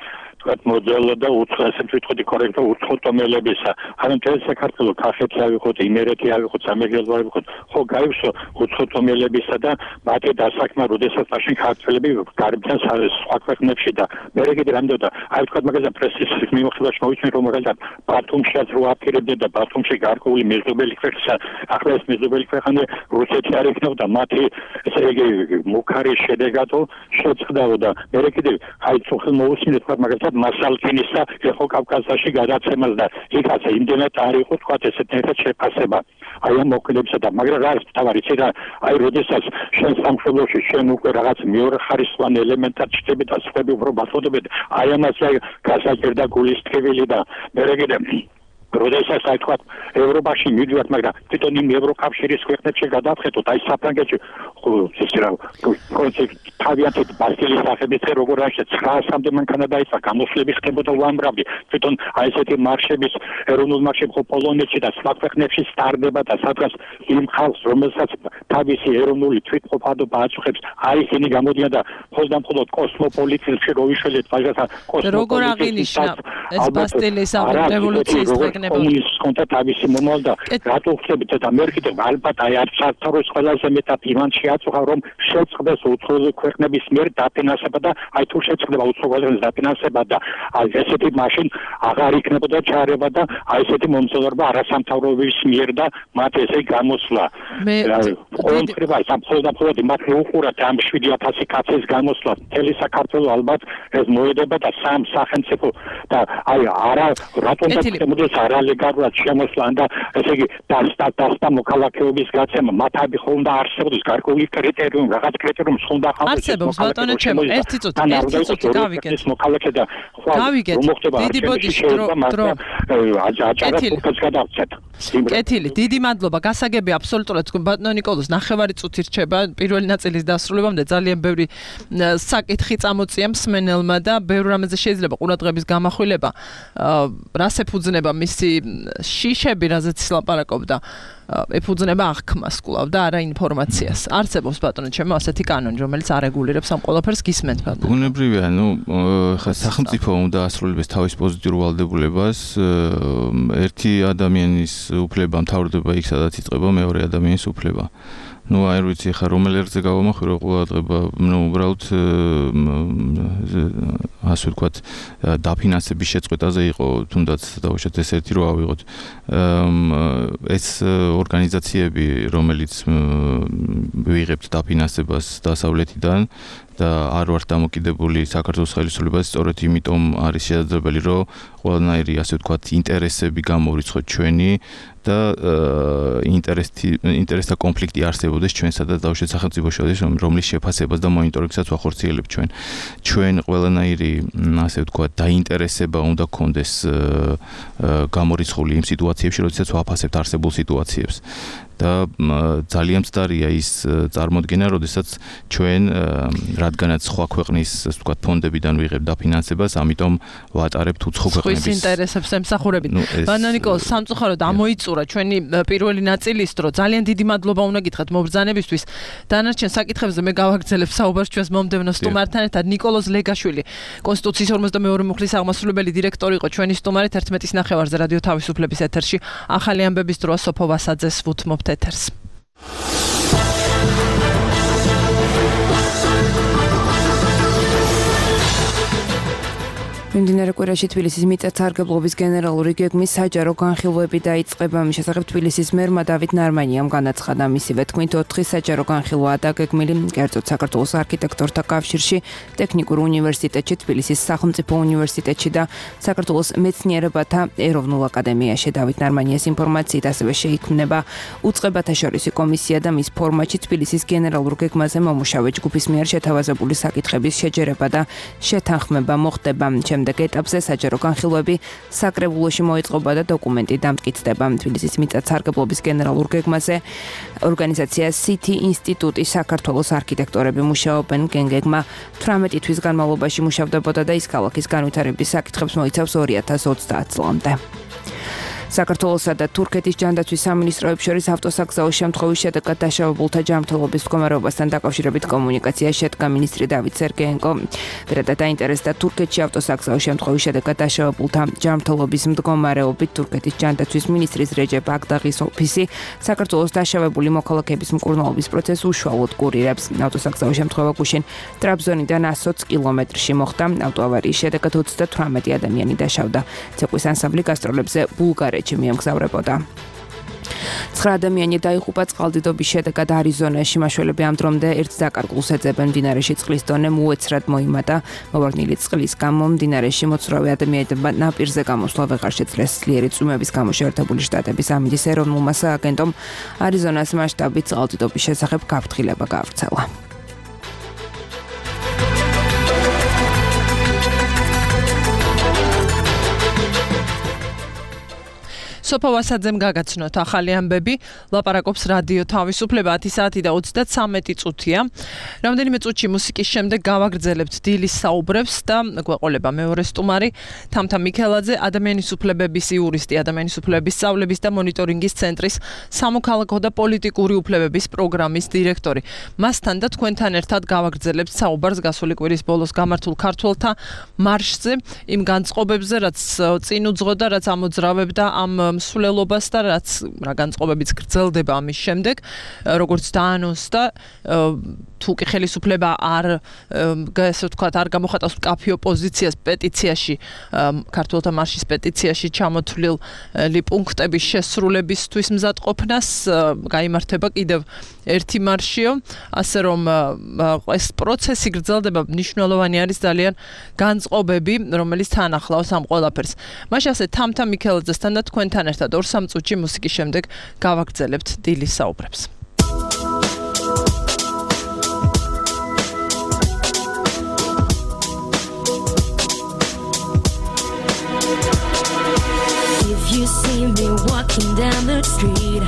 თქვათ მოდელი და უცხოესებს ვიტყოდი კორექტო უცხოთომელებისა ანუ მთელ საქართველოს კახეთი ავიღოთ იმერეთი ავიღოთ სამეგრელო ავიღოთ ხო გაივსო უცხოთომელებისა და მათი დასაქმება როდესაც მაშინ ქართველები გარბიან სხვა ქვეყნებში და მე კიდე რამდენად აი თქვათ მაგალითად პრესის მიმოხილვაში მოვიცნე რომ მაგალითად ბათუმშიაც რო აპირებდნენ და ბათუმში გარკვეული მეზობელი ქვეყნისა ახლა ეს მეზობელი ქვეყანა რუსეთი არ იქნებოდა მათი ესე იგი მუქარი შედეგატო შეწყდაო და მე კიდე აი ცოხელ მოვისმინე თქვათ მაგალითად მასალკინისა ეხო კავკასიაში გადაცემას და იქაც იმდენად არ იყო თქვათ ესეთ ერთ შეფასება აი ამ მოქმედებისა და მაგრამ რა არის თავი იცი რა აი როდესაც შენ სამშობლოში შენ უკვე რაღაც მეორე ხარისხოვან ელემენტად ჩდები და სხვები უფრო ბათოდებით აი ამას გასაჭირდა გულის თბილი და მე კიდე როდესაც აი თქვა ევროპაში მივიდივართ მაგრამ თვითონ იმ ევროკავშირის ქვეყნებში გადავხედოთ აი საფრანგეთში ეს რა თავიანთი ბასტილის სახელით როგორ არის 900-მდე მანქანა დაიწყო გამოსვლები ხდებოდა უამრავი თვითონ აი ესეთი მარშების ეროვნულ მარშები ხო პოლონეთში და სხვა ქვეყნებში სტარდება და სადღაც იმ ხალხს რომელსაც თავისი ეროვნული თვითმყოფადობა აწუხებს აი ისინი გამოდიან და მხოლოდ კოსმოპოლიტიზმში რო ვიშველეთ მაგასაც როგორ აღინიშნა ეს ბასტილის რევოლუციის დღე კომუნისტის კონტა თავისი მომავალ და რატო ხდებით და მე კიდე ალბათ აი არ საქართველოს ყველაზე მეტად იმან შეაწუხა რომ შეწყდეს უცხოელი ქვეყნების მიერ დაფინანსება და აი თუ შეწყდება უცხოელი დაფინანსება და აი ესეთი მაშინ აღარ იქნებოდა ჩარევა და აი ესეთი მომცდელობა არასამთავრობოების მიერ და მათ ესე გამოსვლა მე ყოველდღიურად სამწუხაროდ იმათ უყურათ ამ 7000 კაცის გამოსვლა მთელი საქართველოს ალბათ ეს მოედება და სამ სახელმწიფო და აი არა რატომ და არალეგალურად შემოსვლა და ესე იგი დასტა მოქალაქეობის გაცემა მათები ხონდა არსებობს გარკვეული კრიტერიუმი რაღაც კრიტერიუმი ხონდა არსებობს ბატონო ჩემო ერთი წუთი გავიგეთ მოქალაქე და დიდი ბოდიში დრო კეთილი დიდი მადლობა გასაგები აბსოლუტურად ბატონო ნიკოლოზ ნახევარი წუთი რჩება პირველი ნაწილის დასრულებამდე ძალიან ბევრი საკითხი წამოწია მსმენელმა და ბევრ რამეზე შეიძლება ყურადღების გამახვილება რას ეფუძნება მისი შიშები რაზეც ლაპარაკობდა ეფუძნება აღქმას კვლავ და არა ინფორმაციას. არსებობს ბატონო ჩემო ასეთი კანონი, რომელიც არეგულირებს ამ ყველაფერს გისმენთ ბატონო. ბუნებრივია, ხა სახელმწიფო უნდა ასრულებს თავის პოზიტიურ ვალდებულებას. ერთი ადამიანის უფლება მთავრდება იქ, სადაც იწყება მეორე ადამიანის უფლება. აი არ ვიცი ხა რომელ ერთზე გავამახვილო ყურადღება, უბრალოდ ასე ვთქვათ, დაფინანსების შეწყვეტაზე იყო, თუნდაც დავუშვათ ეს ერთი რო ავიღოთ. ეს ორგანიზაციები, რომელიც ვიღებთ დაფინანსებას დასავლეთიდან და არ ვართ დამოკიდებული საქართველოს ხელისუფლებას, სწორედ იმიტომ არის შესაძლებელი, რომ ყველანაირი ასე ვთქვათ ინტერესები გამოვიწყოთ ჩვენი და ინტერესთა კონფლიქტი არსებობდეს ჩვენსა და დავუშვათ სახელმწიფო შორის, რომლის შეფასებას და მონიტორინგსაც ვახორციელებთ ჩვენ. ჩვენ ყველანაირი ასე ვთქვათ დაინტერესება უნდა გქონდეს გამორიცხული იმ სიტუაციებში, როდესაც ვაფასებთ არსებულ სიტუაციებს. და ძალიან მცდარია ის წარმოდგენა, როდესაც ჩვენ რადგანაც სხვა ქვეყნის ასე ვთქვათ ფონდებიდან ვიღებთ დაფინანსებას, ამიტომ ვატარებთ უცხო ქვეყნების ინტერესებს ემსახურებით. ბანანიკო, სამწუხაროდ ამოიწურა ჩვენი პირველი ნაწილის დრო. ძალიან დიდი მადლობა უნდა გითხრათ მობრძანებისთვის. დანარჩენ საკითხებზე მე გავაგრძელებ საუბარს ჩვენს მომდევნო სტუმართან ერთად. ნიკოლოზ ლეგაშვილი, კონსტიტუციის 52 მუხლის აღმასრულებელი დირექტორი იყო ჩვენი სტუმარი 11-ის ნახევარზე რადიო თავისუფლების ეთერში. ახალი ამბების დროა სოფო ვასაძეს ვუთმობ ეთერს. მიმდინარე კვირაში თბილისის მიწათსარგებლობის გენერალური გეგმის საჯარო განხილვები დაიწყება. მის შესახებ თბილისის მერმა დავით ნარმანიამ განაცხადა, მისივე თქმით 4 საჯარო განხილვაა დაგეგმილი, კერძოდ საქართველოს არქიტექტორთა კავშირში, ტექნიკურ უნივერსიტეტში, თბილისის სახელმწიფო უნივერსიტეტში და საქართველოს მეცნიერებათა ეროვნულ აკადემიაში. დავით ნარმანიას ინფორმაციით ასევე შეიქმნება უწყებათა შორისი კომისია და მის ფორმატში თბილისის გენერალურ გეგმაზე მომუშავე ჯგუფის მიერ შეთავაზებული საკითხების შეჯერება და შეთანხმება მოხდება. შემდეგ ეტაპზე საჯარო განხილვები საკრებულოში მოიწყობა და დოკუმენტი დამტკიცდება. თბილისის მიწათსარგებლობის გენერალურ გეგმაზე ორგანიზაცია City ინსტიტუტის საქართველოს არქიტექტორები მუშაობენ. გეგმა 18 თვის განმავლობაში მუშავდებოდა და ის ქალაქის განვითარების საკითხებს მოიცავს 2030 წლამდე. საქართველოსა და თურქეთის ჯანდაცვის სამინისტროებს შორის ავტოსაგზაო შემთხვევის შედეგად დაშავებულთა ჯანმრთელობის მდგომარეობასთან დაკავშირებით კომუნიკაცია შედგა მინისტრი დავით სერგეენკო. პირადად დაინტერესდა თურქეთში ავტოსაგზაო შემთხვევის შედეგად დაშავებულთა ჯანმრთელობის მდგომარეობით. თურქეთის ჯანდაცვის მინისტრის რეჯეპ აკდაღის ოფისი საქართველოს დაშავებული მოქალაქეების მკურნალობის პროცესს უშუალოდ კურირებს. ავტოსაგზაო შემთხვევა გუშინ ტრაბზონიდან 120 კილომეტრში მოხდა. ავტოავარიის შედეგად 38 ადამიანი დაშავდა. ცეკვის ანსამბლი გასტროლებზე ბულგარეთში მიემგზავრებოდა. 9 ადამიანი დაიღუპა წყალდიდობის შედეგად არიზონაში. მაშველები ამ დრომდე ერთ დაკარგულს ეძებენ. მდინარეში წყლის დონე უეცრად მოიმატა. მოვარდნილი წყლის გამო მდინარეში მოცურავე ადამიანებმა ნაპირზე გამოსვლა ვეღარ შეძლეს. ძლიერი წვიმების გამო შეერთებული შტატების ამინდის ეროვნულმა სააგენტომ არიზონას მასშტაბით წყალდიდობის შესახებ გაფრთხილება გაავრცელა. სოფო ვასაძემ გაგაცნოთ ახალი ამბები. ლაპარაკობს რადიო თავისუფლება 10 საათი და 33 წუთია. რამდენიმე წუთში მუსიკის შემდეგ გავაგრძელებთ დილის საუბრებს და გვეყოლება მეორე სტუმარი თამთა მიქელაძე, ადამიანის უფლებების იურისტი, ადამიანის უფლებების სწავლების და მონიტორინგის ცენტრის სამოქალაქო და პოლიტიკური უფლებების პროგრამის დირექტორი. მასთან და თქვენთან ერთად გავაგრძელებთ საუბარს გასული კვირის ბოლოს გამართულ ქართველთა მარშზე, იმ განწყობებზე, რაც წინ უძღოდა, რაც ამოძრავებდა ამ მსვლელობას და რაც რა განწყობებიც გრძელდება ამის შემდეგ, როგორც დაანონსდა, თუ კი ხელისუფლება არ ასე ვთქვათ, არ გამოხატავს მკაფიო პოზიციას პეტიციაში, ქართველთა მარშის პეტიციაში ჩამოთვლილი პუნქტების შესრულებისთვის მზადყოფნას, გაიმართება კიდევ ერთი მარშიო, ასე რომ ეს პროცესი გრძელდება, მნიშვნელოვანი არის ძალიან განწყობები, რომელიც თან ახლავს ამ ყველაფერს. მაშინ ასე თამთა მიქელაძესთან და თქვენთან ერთად 2-3 წუთში მუსიკის შემდეგ გავაგრძელებთ დილის საუბრებს. You see me walking down the street,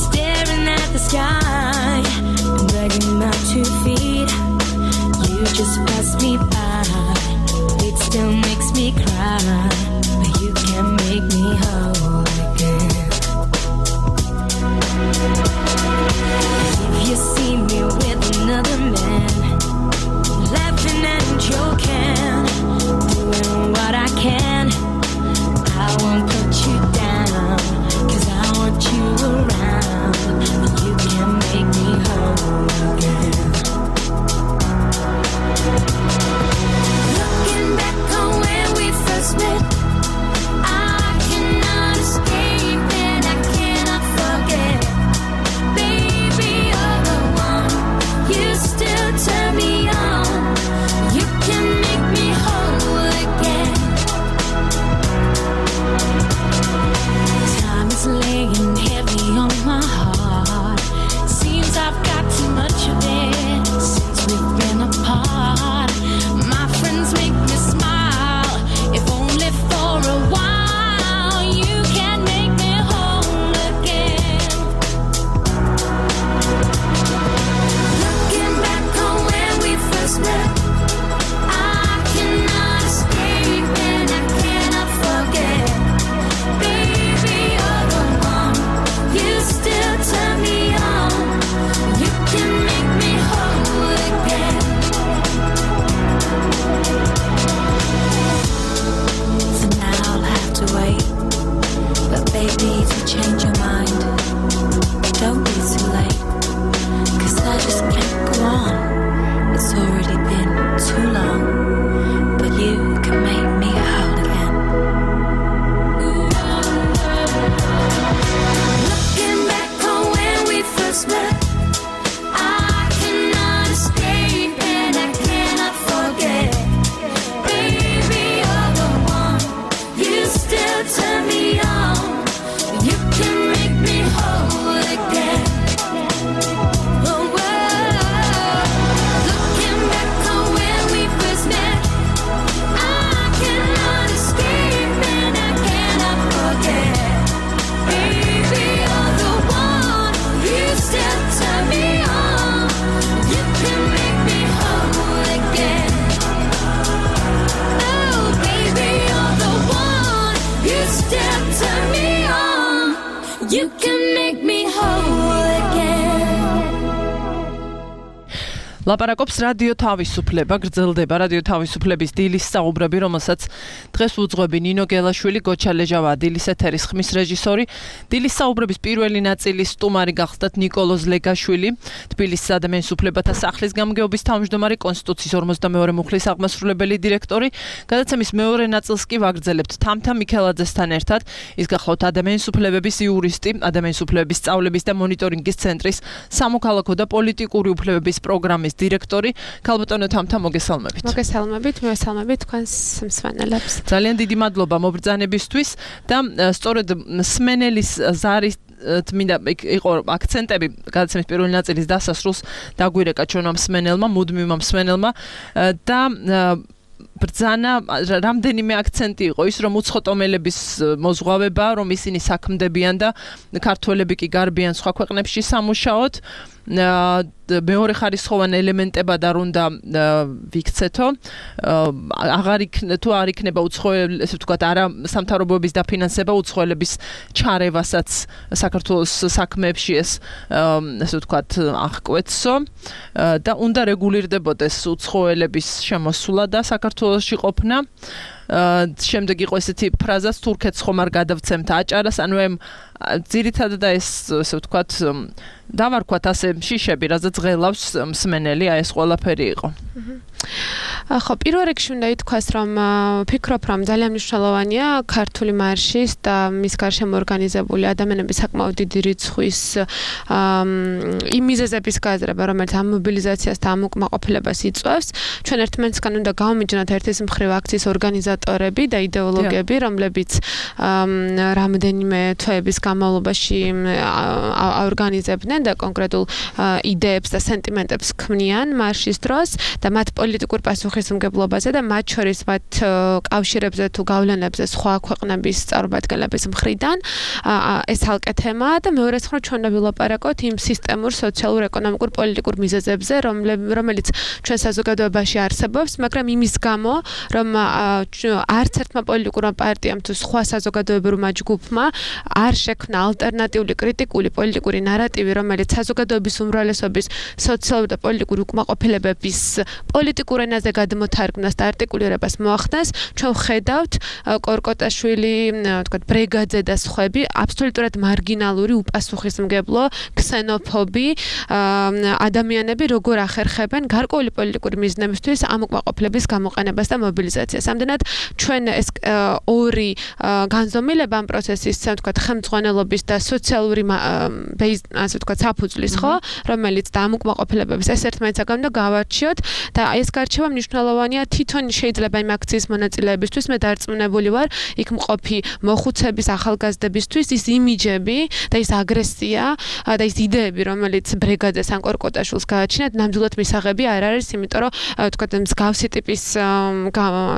staring at the sky, begging my 2 feet. You just pass me by, it still makes me cry, but you can't make me whole again. damn turn me on. You can make me whole again. ლაპარაკობს რადიო თავისუფლება, გრძელდება რადიო თავისუფლების დილის საუბრები, რომელსაც დღეს უძღვები ნინო გელაშვილი, გოჩა ლეჟავა, დილის ეთერის ხმის რეჟისორი. დილის საუბრების პირველი ნაწილის სტუმარი გახდათ ნიკოლოზ ლეგაშვილი, თბილისის ადამიანის უფლებათა სახლის გამგეობის თავმჯდომარე, კონსტიტუციის 52 მუხლის აღმასრულებელი დირექტორი. გადაცემის მეორე ნაწილს კი ვაგრძელებთ თამთა მიქელაძესთან ერთად. ის გახლავთ ადამიანის უფლებების იურისტი, ადამიანის უფლებების სწავლების და მონიტორინგის ცენტრის სამოქალაქო და პოლიტიკური უფლებების პროგრამის დირექტორი. ქალბატონო თამთა, მოგესალმებით. მოგესალმებით, მივესალმებით თქვენს მსმენელებს. ძალიან დიდი მადლობა მობრძანებისთვის და სწორედ სმენელის ზარის მინდა იყო აქცენტები გადაცემის პირველი ნაწილის დასასრულს დაგვირეკა ჩვენმა მსმენელმა, მუდმივმა მსმენელმა და ბრძანა რამდენიმე აქცენტი იყო ის, რომ უცხოტომელების მოზღვავება, რომ ისინი საქმდებიან და ქართველები კი გარბიან სხვა ქვეყნებში სამუშაოდ. მეორე ხარისხოვან ელემენტებად არ უნდა ვიქცეთო. თუ არ იქნება უცხოელი, ესე ვთქვათ, არა სამთავრობოების დაფინანსება უცხოელების ჩარევასაც საქართველოს საქმეებში ეს ესე ვთქვათ აღკვეთსო და უნდა რეგულირდებოდეს უცხოელების შემოსულა და საქართველოში ყოფნა. შემდეგ იყო ესეთი ფრაზაც თურქეთს ხომ არ გადავცემთ აჭარას, ანუ ძირითადად ეს ესე ვთქვათ დავარქვათ ასე შიშები, რაზეც ღელავს მსმენელი, ეს ყველაფერი იყო. ხო, პირველ რიგში უნდა ითქვას, რომ ვფიქრობ, რომ ძალიან მნიშვნელოვანია ქართული მარშის და მის გარშემო ორგანიზებული ადამიანების საკმაოდ დიდი რიცხვის იმ მიზეზების გააზრება, რომელიც ამ მობილიზაციას და ამ უკმაყოფილებას იწვევს. ჩვენ ერთმანეთსგან უნდა გავმიჯნოთ ერთის მხრივ აქციის ორგანიზატორები და იდეოლოგები, რომლებიც რამდენიმე თვეების განმავლობაში აორგანიზებდნენ და კონკრეტულ იდეებს და სენტიმენტებს ქმნიან მარშის დროს და მათ პოლიტიკურ პასუხისმგებლობაზე და მათ შორის მათ კავშირებზე თუ გავლენებზე სხვა ქვეყნების წარმომადგენლების მხრიდან ეს ალკე თემაა და მეორე მხრივ ჩვენ უნდა ვილაპარაკოთ იმ სისტემურ, სოციალურ, ეკონომიკურ, პოლიტიკურ მიზეზებზე, რომელიც ჩვენ საზოგადოებაში არსებობს, მაგრამ იმის გამო, რომ არც ერთმა პოლიტიკურმა პარტიამ თუ სხვა საზოგადოებრივმა ჯგუფმა არ შექმნა ალტერნატიული კრიტიკული პოლიტიკური ნარატივი, რომელიც საზოგადოების უმრავლესობის სოციალური და პოლიტიკური უკმაყოფილებების პოლიტიკურ ენაზე გადმოთარგმნას და არტიკულირებას მოახდენს. ჩვენ ვხედავთ კორკოტაშვილი, თქვათ, ბრეგაძე და სხვები აბსოლუტურად მარგინალური, უპასუხისმგებლო, ქსენოფობი ადამიანები როგორ ახერხებენ გარკვეული პოლიტიკური მიზნებისთვის ამ უკმაყოფილების გამოყენებას და მობილიზაციას. ამდენად ჩვენ ეს ორი განზომილება ამ პროცესის, თქვათ, ხელმძღვანელობის და სოციალური ასე ვთქვათ, საფუძვლის, ხო, რომელიც და ამ უკმაყოფილებების ეს ერთმანეთსაგან უნდა გავარჩიოთ და ეს გარჩევა მნიშვნელოვანია თვითონ შეიძლება იმ აქციის მონაწილეებისთვის. მე დარწმუნებული ვარ, იქ მყოფი მოხუცების, ახალგაზრდებისთვის ის იმიჯები და ის აგრესია და ის იდეები, რომელიც ბრეგაძეს ან კორკოტაშვილს გააჩნიათ, ნამდვილად მისაღები არ არის, იმიტომ რომ ვთქვათ, მსგავსი ტიპის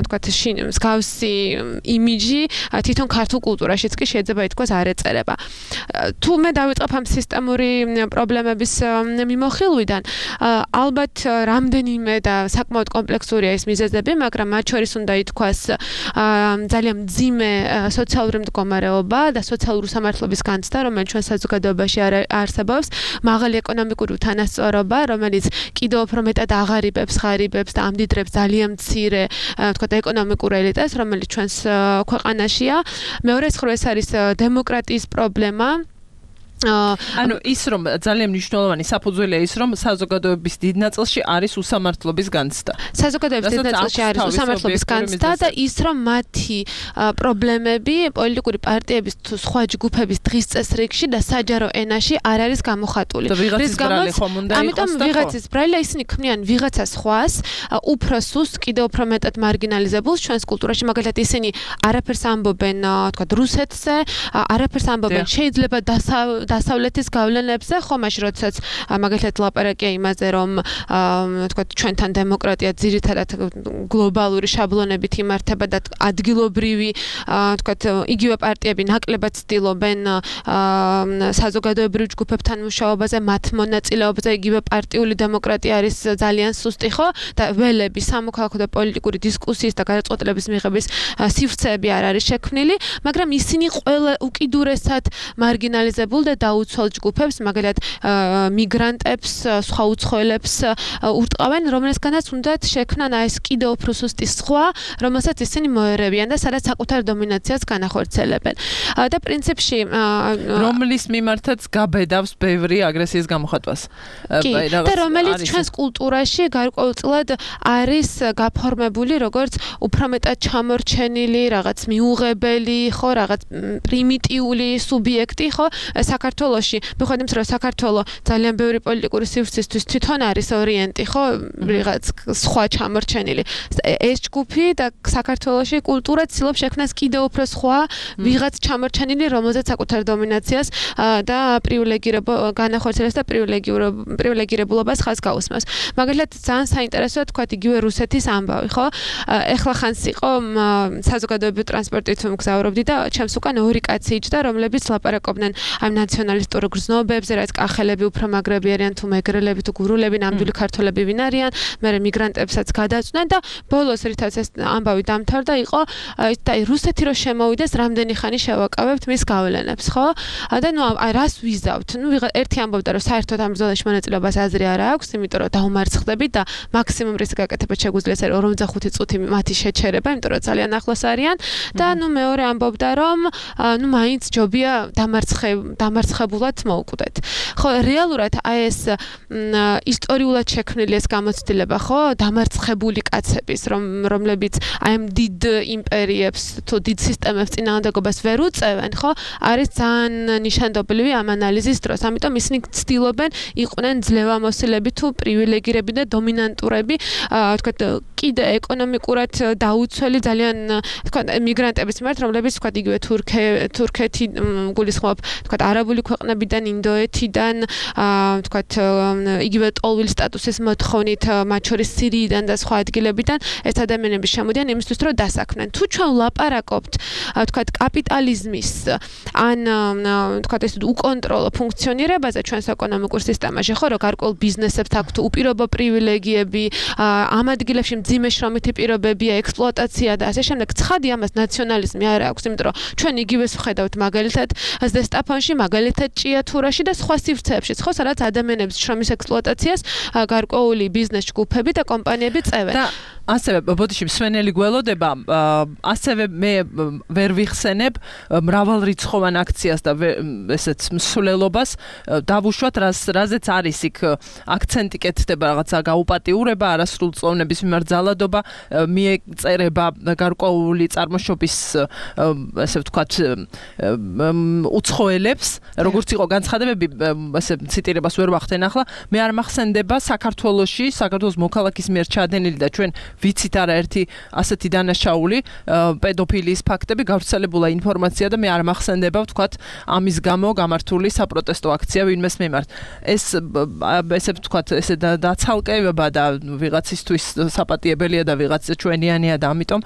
ვთქვათ, მსგავსი იმიჯი თვითონ ქართულ კულტურაშიც კი შეიძლება ითქვას არ ეწერება. თუ მე დავიწყებ ამ სისტემური პრობლემების მიმოხილვიდან, ალბათ რამდენიმე და საკმაოდ კომპლექსურია ეს მიზეზები, მაგრამ მათ შორის უნდა ითქვას ძალიან მძიმე სოციალური მდგომარეობა და სოციალური სამართლობის განცდა, რომელიც ჩვენ საზოგადოებაში არსებობს, მაღალი ეკონომიკური უთანასწორობა, რომელიც კიდევ უფრო მეტად აღარიბებს, ხარიბებს და ამდიდრებს ძალიან მცირე, ვთქვათ, ეკონომიკურ ელიტას, რომელიც ჩვენს ქვეყანაშია. მეორე მხრივ ეს არის დემოკრატიის პრობლემა. ანუ ის რომ ძალიან მნიშვნელოვანი საფუძველია ის რომ საზოგადოების დიდ ნაწილში არის უსამართლობის განცდა. საზოგადოების დიდ ნაწილში არის უსამართლობის განცდა და ის რომ მათი პრობლემები პოლიტიკური პარტიების თუ სხვა ჯგუფების დღის წესრიგში და საჯარო ენაში არ არის გამოხატული. რის გამოც ამიტომ ვიღაცის ბრალი ისინი ქმნიან ვიღაცა სხვას, უფრო სუსტ, კიდევ უფრო მეტად მარგინალიზებულს ჩვენს კულტურაში, მაგალითად ისინი არაფერს ამბობენ, თქვა, რუსეთზე, არაფერს ამბობენ შეიძლება დასავლეთის გავლენებზე, ხო, მაშინ როდესაც მაგალითად ლაპარაკია იმაზე, რომ თქვა ჩვენთან დემოკრატია ძირითადად გლობალური შაბლონებით იმართება და ადგილობრივი თქვა იგივე პარტიები ნაკლებად ცდილობენ საზოგადოებრივ ჯგუფებთან მუშაობაზე, მათ მონაწილეობაზე, იგივე პარტიული დემოკრატია არის ძალიან სუსტი, ხო? და ველები სამოქალაქო და პოლიტიკური დისკუსიის და გადაწყვეტილების მიღების სივრცეები არ არის შექმნილი, მაგრამ ისინი ყველა უკიდურესად მარგინალიზებულ და დაუცველ ჯგუფებს, მაგალითად მიგრანტებს, სხვა უცხოელებს ურტყავენ, რომელთაგანაც უნდათ შექმნან ეს კიდევ უფრო სუსტი სხვა, რომელსაც ისინი მოერევიან და სადაც საკუთარ დომინაციას განახორციელებენ. და პრინციპში რომლის მიმართაც გაბედავს ბევრი აგრესიის გამოხატვას. და რომელიც ჩვენს კულტურაში გარკვეულწილად არის გაფორმებული როგორც უფრო მეტად ჩამორჩენილი, რაღაც მიუღებელი, ხო, რაღაც პრიმიტიული სუბიექტი, ხო, საქართველოში. მიუხედავად იმისა, რომ საქართველო ძალიან ბევრი პოლიტიკური სივრცისთვის თვითონ არის ორიენტი, ხო, რაღაც სხვა ჩამორჩენილი. ეს ჯგუფი და საქართველოში კულტურა ცდილობს შექმნას კიდევ უფრო სხვა, ვიღაც ჩამორჩენილი, რომელზეც საკუთარ დომინაციას და პრივილეგირებულობას განახორციელებს და პრივილეგირებულობას ხაზს გაუსმევს. მაგალითად, ძალიან საინტერესოა თქვა იგივე რუსეთის ამბავი, ხო? ეხლა ხანს იყო საზოგადოებრივ ტრანსპორტით მგზავრობდი და ჩემს უკან ორი კაცი იჯდა, რომლებიც ლაპარაკობდნენ ამ ნაციონალისტურ გრძნობებზე, რაც კახელები უფრო მაგრები არიან თუ მეგრელები თუ გურულები, ნამდვილი ქართველები ვინ არიან, მერე მიგრანტებსაც გადაწვდნენ და ბოლოს რითაც ეს ამბავი დამთავრდა, იყო და რუსეთი რო შემოვიდეს, რამდენი ხანი შევაკავებთ მის გავლენებს, ხო? და ნუ რას ვიზავთ? ნუ ერთი ამბობდა, რომ საერთოდ ამ ბრძოლაში მონაწილეობას აზრი არ აქვს, იმიტომ რომ დაუმარცხდებით და მაქსიმუმ რისი გაკეთება შეგვიძლია 45 წუთი მათი შეჩერება, იმიტომ რომ ძალიან ახლოს არიან და ნუ მეორე ამბობდა, რომ ნუ მაინც ჯობია დამარცხებულად მოუკვდეთ. ხო, რეალურად აი ეს ისტორიულად შექმნილი ეს გამოცდილება, ხო, დამარცხებული კაცების, რომლებიც აი ამ დიდ იმპერიებს თუ დიდ სისტემებს წინააღმდეგობას ვერ უწევენ, ხო, არის ძალიან ნიშანდობლივი ამ ანალიზის დროს. ამიტომ ისინი ცდილობენ იყვნენ ძლევამოსილები თუ პრივილეგირები და დომინანტურები, თქვა კიდე ეკონომიკურად დაუცველი ძალიან თქვა მიგრანტების მიმართ, რომლებიც თქვა იგივე თურქეთი გულისხმობ, თქვა არაბული ქვეყნებიდან, ინდოეთიდან, თქვა იგივე ტოლვილ სტატუსის მოთხოვნით, მათ შორის სირიიდან და სხვა ადგილებიდან ეს ადამიანები შემოდიან იმისთვის, რომ დასაქმნენ. თუ ჩვენ ვლაპარაკობთ, თქვა კაპიტალიზმის ან თქვა ეს უკონტროლო ფუნქციონირებაზე ჩვენს ეკონომიკურ სისტემაში, ხო, რომ გარკვეულ ბიზნესებს აქვთ უპირობო პრივილეგიები, ამ ადგილებში მძიმე შრომითი პირობებია, ექსპლუატაცია და ასე შემდეგ. ცხადი ამას ნაციონალიზმი არ აქვს, იმიტომ რომ ჩვენ იგივეს ვხედავთ მაგალითად ზესტაფონში, მაგალითად ჭიათურაში და სხვა სივრცეებშიც, ხო, სადაც ადამიანების შრომის ექსპლუატაციას გარკვეული ბიზნეს ჯგუფები და კომპანიები წევენ. და ასევე ბოდიში მსვენელი გველოდება, ასევე მე ვერ ვიხსენებ მრავალრიცხოვან აქციას და ესეც მსვლელობას დავუშვათ, რაზეც არის იქ აქცენტი კეთდება, რაღაცა გაუპატიურება, არასრულწლოვნების მიმართ ძალადობა, მიეწერება გარკვეული წარმოშობის, ესე ვთქვათ, უცხოელებს, როგორც იყო განცხადებები, ესე ციტირებას ვერ ვახდენ ახლა, მე არ მახსენდება საქართველოში, საქართველოს მოქალაქის მიერ ჩადენილი და ჩვენ ვიცით არაერთი ასეთი დანაშაული პედოფილიის ფაქტები, გავრცელებულა ინფორმაცია და მე არ მახსენდება, ვთქვათ, ამის გამო გამართული საპროტესტო აქცია ვინმეს მიმართ. ესე ვთქვათ, ესე დაცალკება და ვიღაცისთვის საპატიებელია და ვიღაც ჩვენიანია და ამიტომ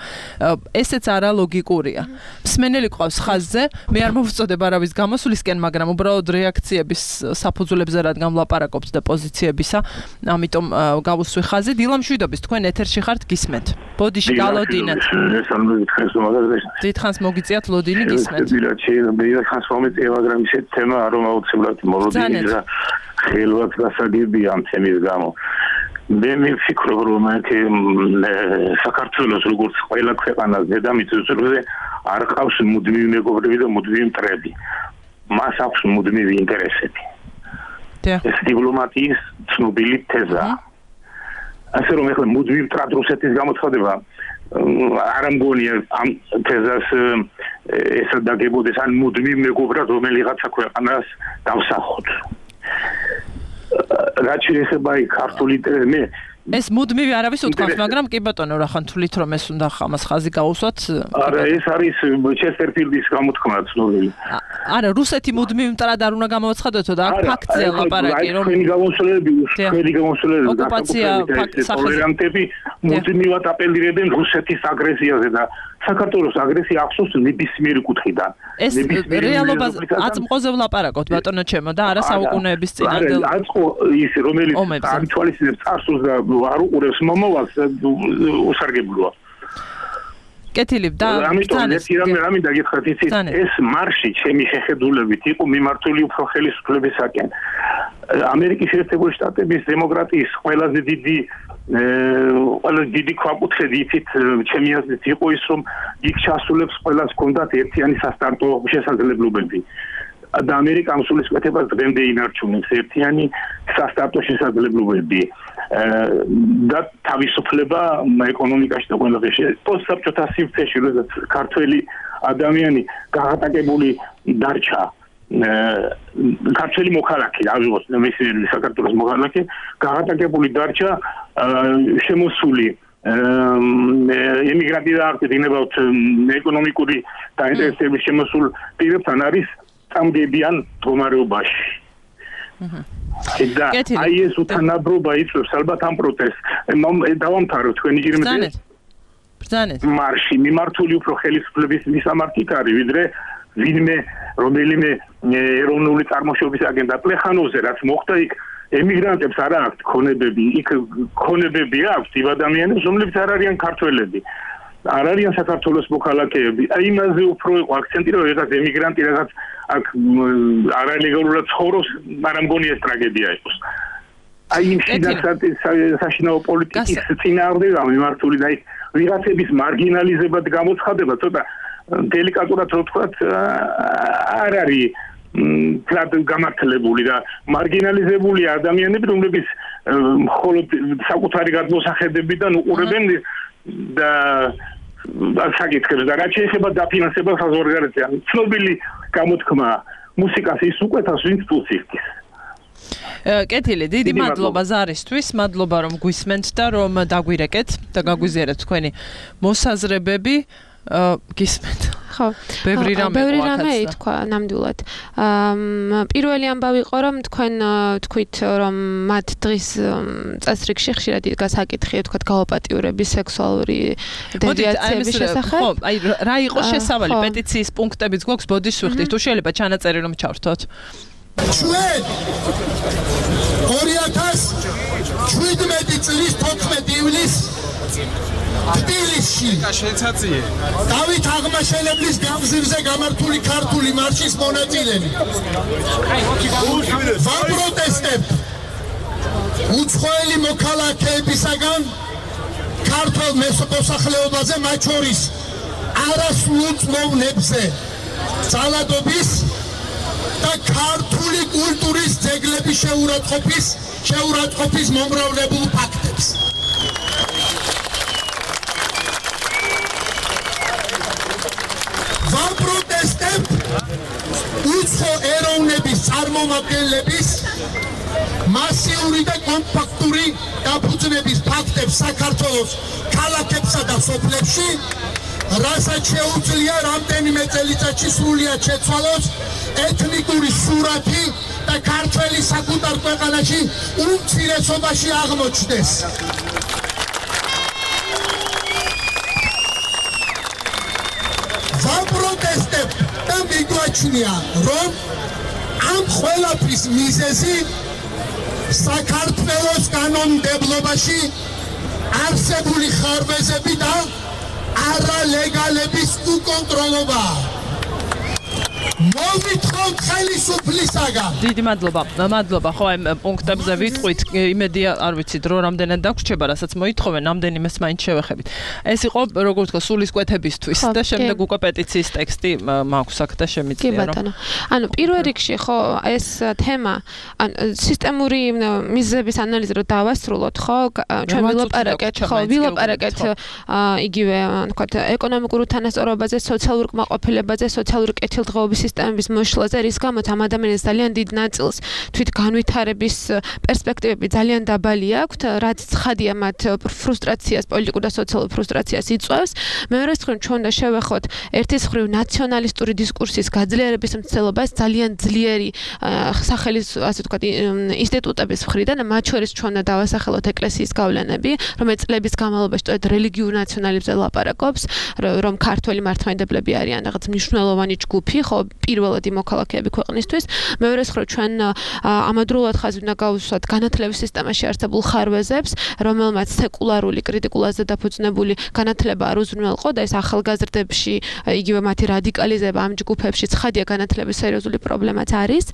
ესეც არა ლოგიკურია. მსმენელი ყავს ხაზზე, მე არ მოვწოდებ არავის გამოსვლისკენ, მაგრამ უბრალოდ რეაქციების საფუძვლებზე რადგან ვლაპარაკობთ და პოზიციებისა, ამიტომ გავუსვი ხაზი. დილა მშვიდობის, თქვენ ეთერში ხართ, გისმენთ. ბოდიში გალოდინათ. დიდხანს მოგიწიათ ლოდინი, გისმენთ. დიდხანს მომიწია, მაგრამ ისეთ თემა არ მოუწევთ მოლოდინი და ხელවත් გასაგებია ამ თემის გამო. მე მიფიქრობ, რომ საქართველოს როგორც ყველა ქვეყანას დედამიწის ზურგზე არ ყავს მუდმივი მეგობრები და მუდმივი მტრები. მას აქვს მუდმივი ინტერესები. ეს დიპლომატიის ცნობილი თეზაა. ასე რომ ეხლა მუდმივ მტრად რუსეთის გამოცხადება არ ამგონია ამ თეზას ესა დაგებოდეს ან მუდმივ მეგობრად რომელიღაცა ქვეყანას დავსახოთ. რაც შეეხება ქართული მე ეს მუდმივი არავის უთქვამს, მაგრამ კი ბატონო, რა ხან თulit რომ ეს უნდა ამას ხაზი გაუსვათ? არა, ეს არის ჩესტერფილდის გამოთქმა ცნობილი. არა, რუსეთი მუდმივ მტრად არ უნდა გამოვაცხადოთ და აქ ფაქტია ლაპარაკი, რომ თქვენი გამოსვლები ოკუპაცია ტოლერანტები მუდმივად აპელირებენ რუსეთის აგრესიაზე და საქართველოს აგრესია ახსოვს ნებისმიერი კუთხიდან. ეს რეალობა აწმყოზე ვლაპარაკოთ ბატონო ჩემო და არა საუკუნეების წინანდელ. აწყო ის რომელიც აკtualisებს წარსულს და არ უყურებს მომავალს უსარგებლოა. კეთილი და ამიტომ ეს რამე დაგიხართ იცით ეს მარში ჩემი შეხედულებით იყო მიმართული უფრო ხელისუფლებისაკენ. ამერიკის შეერთებული შტატების დემოკრატიის ყველაზე დიდი ქვაკუთხედი იცით ჩემი აზრით იყო ის რომ იქ ჩასულებს ყველას ჰქონდათ ერთიანი სასტარტო შესაძლებლობები. და ამერიკამ სულისკვეთებას დღემდე ინარჩუნებს ერთიანი სასტარტო შესაძლებლობები და თავისუფლება ეკონომიკაში და ყველაფერში. პოსტსაბჭოთა სივრცეში როდესაც ქართველი ადამიანი გაღატაკებული დარჩა ქართველი მოქალაქე, აღიქვას მესიერი საქართველოს მოქალაქე, გაღატაკებული დარჩა შემოსული ემიგრანტი და აქტივინებავთ ეკონომიკური დაინტერესების შემოსულ პირებთან არის წამდებიან მდგომარეობაში. და აი ეს უთანაბრობა იწვევს ალბათ ამ პროტესტს. დავამთავრებ თქვენი ჯერმეც მარში მიმართული უფრო ხელისუფლების მისამართით არის ვიდრე ვინმე რომელიმე ეროვნული წარმოშობის აგენტ პლეხანოვზე რაც მოხდა იქ ემიგრანტებს არ აქვთ ქონებები, იქ ქონებები აქვთ იმ ადამიანებს, რომლებიც არ არიან ქართველები. არ არიან საქართველოს მოქალაქეები. აი იმაზე უფრო იყო აქცენტი, რომ რაღაც ემიგრანტი რაღაც აქ არალეგალურად ცხოვრობს, მაგრამ მგონი ეს ტრაგედია იყოს. აი იმ საშინაო პოლიტიკის წინააღმდეგ მიმართული და იქ ვიღაცების მარგინალიზება და გამოცხადება ცოტა დელიკატურად რო ვთქვათ არ არის კლად გამართლებული და მარგინალიზებული ადამიანები, რომლებიც მხოლოდ საკუთარი გადმოსახედებიდან უყურებენ და საკითხებს და რაც შეეხება დაფინანსებას საზღვარგარეთზე. ცნობილი გამოთქმა მუსიკას ის უკვეთავს, ვინც ფულს იხდის. კეთილი, დიდი მადლობა ზარისთვის, მადლობა რომ გვისმენთ და რომ დაგვირეკეთ და გაგვიზიარეთ თქვენი მოსაზრებები. გისმენთ. ხო. ბევრი რამე ითქვა ნამდვილად. პირველი ამბავი იყო რომ თქვენ თქვით რომ მათ დღის წესრიგში ხშირად იდგა საკითხი თქვათ გაოპატიურების სექსუალური დევიაციების შესახებ. ხო, აი რა იყო შესავალი პეტიციის პუნქტებიც გვაქვს ბოდიშ ვიხდით. თუ შეიძლება ჩანაწერი რომ ჩავრთოთ. ჩვენ 2017 წლის 14 ივლისს თბილისში დავით აღმაშენებლის გამზირზე გამართული ქართული მარშის მონაწილენი ვაპროტესტებთ უცხოელი მოქალაქეებისაგან ქართულ მოსახლეობაზე, მათ შორის არასრულ წლოვნებზე ძალადობის და ქართული კულტურის ძეგლების შეურაცხყოფის მომრავლებულ ფაქტებს. ვაპროტესტებთ უცხო ეროვნების წარმომადგენლების მასიური და კომპაქტური დაფუძნების ფაქტებს საქართველოს ქალაქებსა და სოფლებში, რასაც შეუძლია რამდენიმე წელიწადში სრულად შეცვალოს ეთნიკური სურათი და ქართველი საკუთარ ქვეყანაში უმცირესობაში აღმოჩნდეს. ვაპროტესტებთ და მიგვაჩნია, რომ ამ ყველაფრის მიზეზი საქართველოს კანონმდებლობაში არსებული ხარვეზები და არალეგალების უკონტროლობაა. მოვითხოვთ ხელისუფლისაგან. დიდი მადლობა. მადლობა. ხო, აი პუნქტებზე ვიტყვით, იმედია, არ ვიცი, დრო რამდენად დაგვრჩება, რასაც მოითხოვენ, რამდენიმეს მაინც შევეხებით. ეს იყო, როგორ ვთქვა, სულისკვეთებისთვის და შემდეგ უკვე პეტიციის ტექსტი მაქვს აქ და შემიძლია რომ. კი ბატონო. ანუ პირველ რიგში ხო ეს თემა, ან სისტემური მიზეზების ანალიზი რო დავასრულოთ, ხო, ჩვენ ვილაპარაკეთ იგივე, ვთქვათ, ეკონომიკურ უთანასწორობაზე, სოციალურ კმაყოფილებაზე, სოციალური კეთილდღეობის სისტემების მოშლაზე, რის გამოც ამ ადამიანის ძალიან დიდ ნაწილს თვით განვითარების პერსპექტივები ძალიან დაბალი აქვთ, რაც ცხადია მათ ფრუსტრაციას, პოლიტიკურ და სოციალურ ფრუსტრაციას იწვევს. მეორე მხრივ ჩვენ უნდა შევეხოთ ერთის მხრივ ნაციონალისტური დისკურსის გაძლიერების მცდელობას ძალიან ძლიერი სახელის ასე ვთქვათ ინსტიტუტების მხრიდან, მათ შორის ჩვენ უნდა დავასახელოთ ეკლესიის გავლენები, რომელიც წლების განმავლობაში სწორედ რელიგიურ ნაციონალიზმზე ლაპარაკობს, რომ ქართველი მართლმადიდებლები არიან რაღაც მნიშვნელოვანი ჯგუფი, ხო, პირველადი მოქალაქეები ქვეყნისთვის. მეორე მხრივ ჩვენ ამადროულად ხაზი უნდა გავუსვათ განათლების სისტემაში არსებულ ხარვეზებს, რომელმაც სეკულარული, კრიტიკულაზე დაფუძნებული განათლება არ უზრუნველყო და ეს ახალგაზრდებში, იგივე მათი რადიკალიზება ამ ჯგუფებში ცხადია განათლების სერიოზული პრობლემაც არის.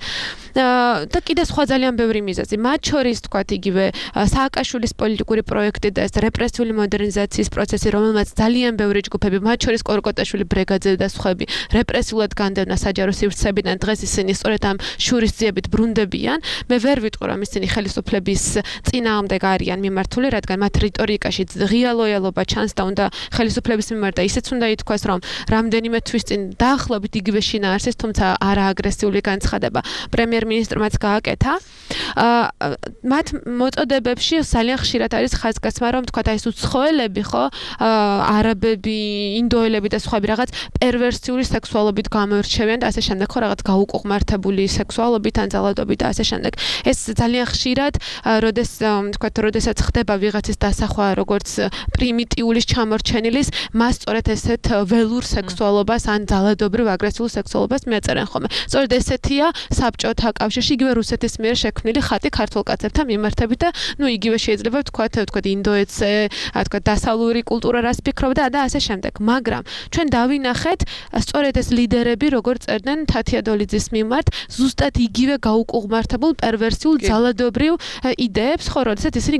და კიდე სხვა ძალიან ბევრი მიზეზი. მათ შორის თქვათ იგივე სააკაშვილის პოლიტიკური პროექტი და ეს რეპრესიული მოდერნიზაციის პროცესი, რომელმაც ძალიან ბევრი ჯგუფები, მათ შორის კორკოტაშვილი ბრიგადზე და სხვები, რეპრესიულად განდევნა საჯარო სივრცეებიდან, დღეს ისინი სწორედ ამ შურისძიებით ბრუნდებიან. მე ვერ ვიტყვი, რომ ისინი ხელისუფლების წინააღმდეგ არიან მიმართული, რადგან მათ რიტორიკაში ღია ლოიალობა ჩანს და უნდა ხელისუფლების მიმართ და ისეც უნდა ითქვას, რომ რამდენიმე თვის წინ დაახლოებით იგივე შინაარსის, თუმცა არა აგრესიული განცხადება პრემიერ-მინისტრმაც გააკეთა. მათ მოწოდებებში ძალიან ხშირად არის ხაზგასმა, რომ თქვა ეს უცხოელები, ხო, არაბები, ინდოელები და სხვები რაღაც პერვერსიული სექსუალობით გამოირჩევიან და ასე შემდეგ, ხო, რაღაც გაუკუღმართებული სექსუალობით ან ძალადობით და ასე შემდეგ. ეს ძალიან ხშირად, როდესაც ხდება ვიღაცის დასახვა როგორც პრიმიტიულის ჩამორჩენილის, მას სწორედ ესეთ ველურ სექსუალობას ან ძალადობრივ აგრესიულ სექსუალობას მიაწერენ ხოლმე. სწორედ ესეთია საბჭოთა კავშირში იგივე რუსეთის მიერ შექმნილი ხატი ქართულ კაცებთან მიმართებით და იგივე შეიძლება ვთქვათ ინდოეთზე, თქვათ დასავლური კულტურა რას ფიქრობდა და ასე შემდეგ. მაგრამ ჩვენ დავინახეთ სწორედ ეს ლიდერები როგორ წერდნენ თათია დოლიძის მიმართ ზუსტად იგივე გაუკუღმართებულ პერვერსიულ ძალადობრივ იდეებს, ხო, როდესაც ისინი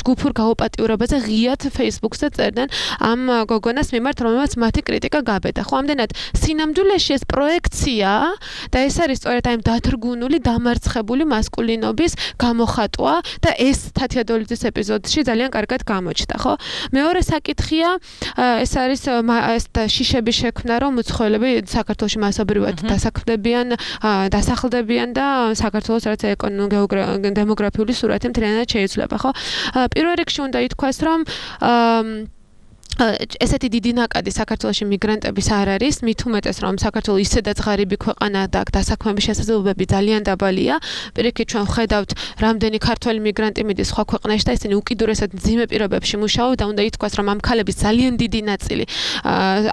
ჯგუფურ გაუპატიურებაზე ღიად Facebook-ზე წერდნენ ამ გოგონას მიმართ, რომელმაც მათი კრიტიკა გაბედა. ხო, ამდენად სინამდვილეში ეს პროექცია და ეს არის სწორედ აი დათრგუნული, დამარცხებული მასკულინობის გამოხატვა და ეს თათია დოლიძის ეპიზოდში ძალიან კარგად გამოჩნდა, ხო? მეორე საკითხია, ეს არის ეს შიშების შექმნა, რომ უცხოელები საქართველოში მასობრივად დასახლდებიან და საქართველოს რაც დემოგრაფიული სურათი მთლიანად შეიცვლება, ხო? პირველ რიგში უნდა ითქვას, რომ ესეთი დიდი ნაკადი საქართველოში მიგრანტების არ არის, მით უმეტეს რომ საქართველოს ისედაც ღარიბი ქვეყანა და დასაქმების შესაძლებლობები ძალიან დაბალია. პირიქით ჩვენ ვხედავთ, რამდენი ქართველი მიგრანტი მიდის სხვა ქვეყნებში და ისინი უკიდურესად მძიმე პირობებში მუშაობენ და უნდა ითქვას, რომ ამ ქალების ძალიან დიდი ნაწილი,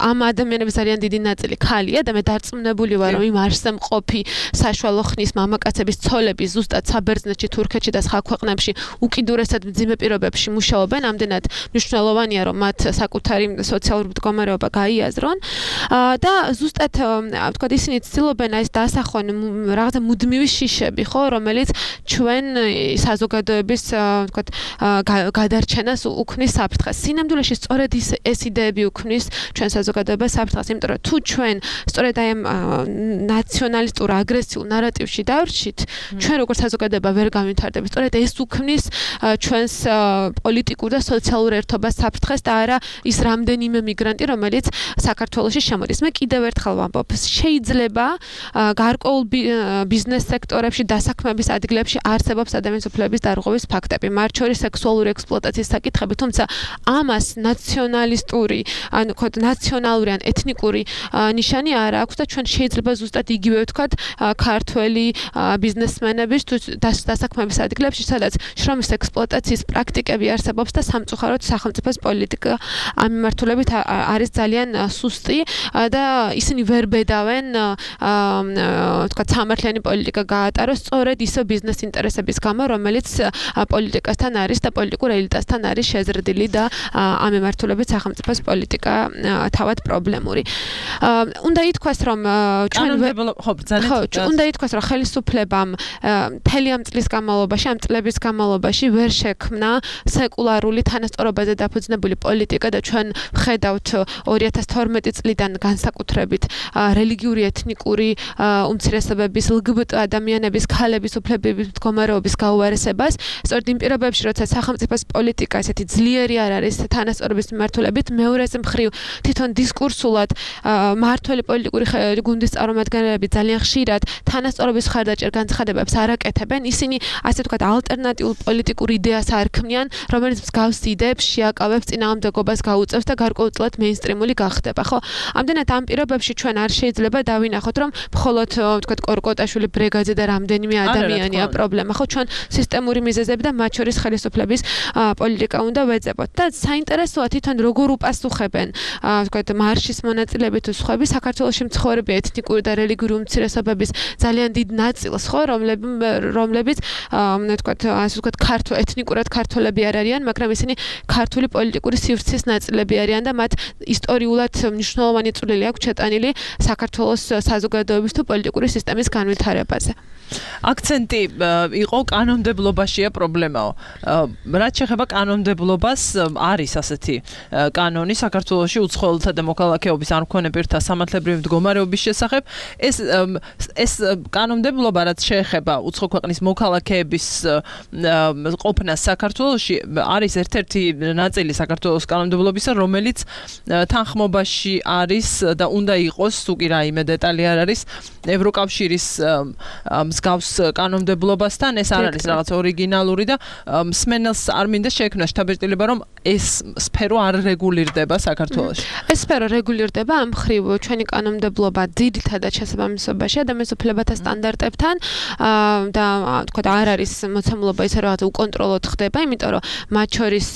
ამ ადამიანების ძალიან დიდი ნაწილი ქალია და მე დარწმუნებული ვარ, რომ იმ არსემყოფი საშუალო ხნის მამაკაცების ცოლები ზუსტად საბერძნეთში, თურქეთში და სხვა ქვეყნებში უკიდურესად მძიმე პირობებში მუშაობენ, ამდენად მნიშვნელოვანია, რომ მათ საკუთარი სოციალური მდგომარეობა გაიაზრონ და ზუსტად ვთქვათ ისინი ცდილობენ ეს დასახვენ რაღაცა მუდმივი შიშები, ხო, რომელიც ჩვენ საზოგადოების ვთქვათ გადარჩენას უქმნის საფრთხეს. სინამდვილეში სწორედ ეს იდეები უქმნის ჩვენ საზოგადოებას საფრთხეს, იმიტომ რომ თუ ჩვენ სწორედ აი ამ ნაციონალისტურ აგრესიულ ნარატივში დავრჩით, ჩვენ როგორც საზოგადოება ვერ განვითარდებით. სწორედ ეს უქმნის ჩვენს პოლიტიკურ და სოციალურ ერთობას საფრთხეს და არა ის რამდენიმე მიგრანტი, რომელიც საქართველოში შემოდის. მე კიდევ ერთხელ ვამბობ, შეიძლება გარკვეულ ბიზნეს სექტორებში, დასაქმების ადგილებში არსებობს ადამიანის უფლებების დარღვევის ფაქტები, მათ შორის სექსუალური ექსპლუატაციის საკითხები, თუმცა ამას ნაციონალისტური, ანუ ნაციონალური ან ეთნიკური ნიშანი არ აქვს და ჩვენ შეიძლება ზუსტად იგივე ვთქვათ ქართველი ბიზნესმენების დასაქმების ადგილებში, სადაც შრომის ექსპლუატაციის პრაქტიკები არსებობს და სამწუხაროდ სახელმწიფოს პოლიტიკა ამ მიმართულებით არის ძალიან სუსტი და ისინი ვერ ბედავენ ვთქვათ სამართლიანი პოლიტიკა გაატაროს სწორედ ისო ბიზნეს ინტერესების გამო, რომელიც პოლიტიკასთან არის და პოლიტიკურ ელიტასთან არის შეზრდილი და ამ მიმართულებით სახელმწიფოს პოლიტიკა თავად პრობლემური. უნდა ითქვას, რომ უნდა ითქვას, რომ ხელისუფლებამ მთელი ამ წლის განმავლობაში, ამ წლების განმავლობაში ვერ შექმნა სეკულარული თანასწორობაზე დაფუძნებული პოლიტიკა და და ჩვენ ვხედავთ 2012 წლიდან განსაკუთრებით რელიგიური ეთნიკური უმცირესობების LGBT ადამიანების ქალების უფლებების მდგომარეობის გაუარესებას სწორედ იმ პირობებში როცა სახელმწიფოს პოლიტიკა ესეთი ძლიერი არ არის თანასწორობის მიმართულებით მეორეს მხრივ თვითონ დისკურსულად მმართველი პოლიტიკური გუნდის წარმომადგენლები ძალიან ხშირად თანასწორობის ხარდაჭერ განცხადებებს არ აკეთებენ ისინი ასე ვთქვათ ალტერნატიულ პოლიტიკურ იდეას არ ქმნიან რომელიც მსგავს იდეებს შეაკავებს წინააღმდეგობას გაუწევს და გარკვეულწილად მეინსტრიმული გახდება ხო ამდენად ამ პირობებში ჩვენ არ შეიძლება დავინახოთ რომ მხოლოდ ვთქვათ კორკოტაშვილი ბრიგადი და რამდენიმე ადამიანია პრობლემა ხო ჩვენ სისტემური მიზეზები და მათ შორის ხელისუფლების პოლიტიკა უნდა ვეძებოთ და საინტერესოა თვითონ როგორ უპასუხებენ ვთქვათ მარშის მონაწილეები თუ სხვები საქართველოში მცხოვრები ეთნიკური და რელიგიური უმცირესობების ძალიან დიდ ნაწილს ხო რომლებიც ვთქვათ ასე ვთქვათ ქართულ ეთნიკურად ქართველები არ არიან მაგრამ ისინი ქართული პოლიტიკური სივრცის ნაწილები არიან და მათ ისტორიულად მნიშვნელოვანი წვლილი აქვს ჩატანილი საქართველოს საზოგადოების თუ პოლიტიკური სისტემის განვითარებაზე აქცენტი იყო კანონმდებლობაშია პრობლემაო. რაც შეეხება კანონმდებლობას, არის ასეთი კანონი საქართველოში უცხოელთა და მოქალაქეობის არ მქონე პირთა სამართლებრივი მდგომარეობის შესახებ. ეს კანონმდებლობა რაც შეეხება უცხო ქვეყნის მოქალაქეების ყოფნას საქართველოში არის ერთ-ერთი ნაწილი საქართველოს კანონმდებლობისა, რომელიც თანხმობაში არის და უნდა იყოს, თუ კი რაიმე დეტალი არ არის, ევროკავშირის მსგავს კანონმდებლობასთან ეს არ არის რაღაც ორიგინალური და მსმენელს არ მინდა შექმნა შთაბეჭდილება რომ ეს სფერო არ რეგულირდება საქართველოში. ეს სფერო რეგულირდება ამ მხრივ ჩვენი კანონმდებლობა ძირითადად შესაბამისობაში ადამიანის უფლებათა სტანდარტებთან და თქვა არ არის მოცემულობა ისე რაღაც უკონტროლოდ ხდება, იმიტომ რომ მათ შორის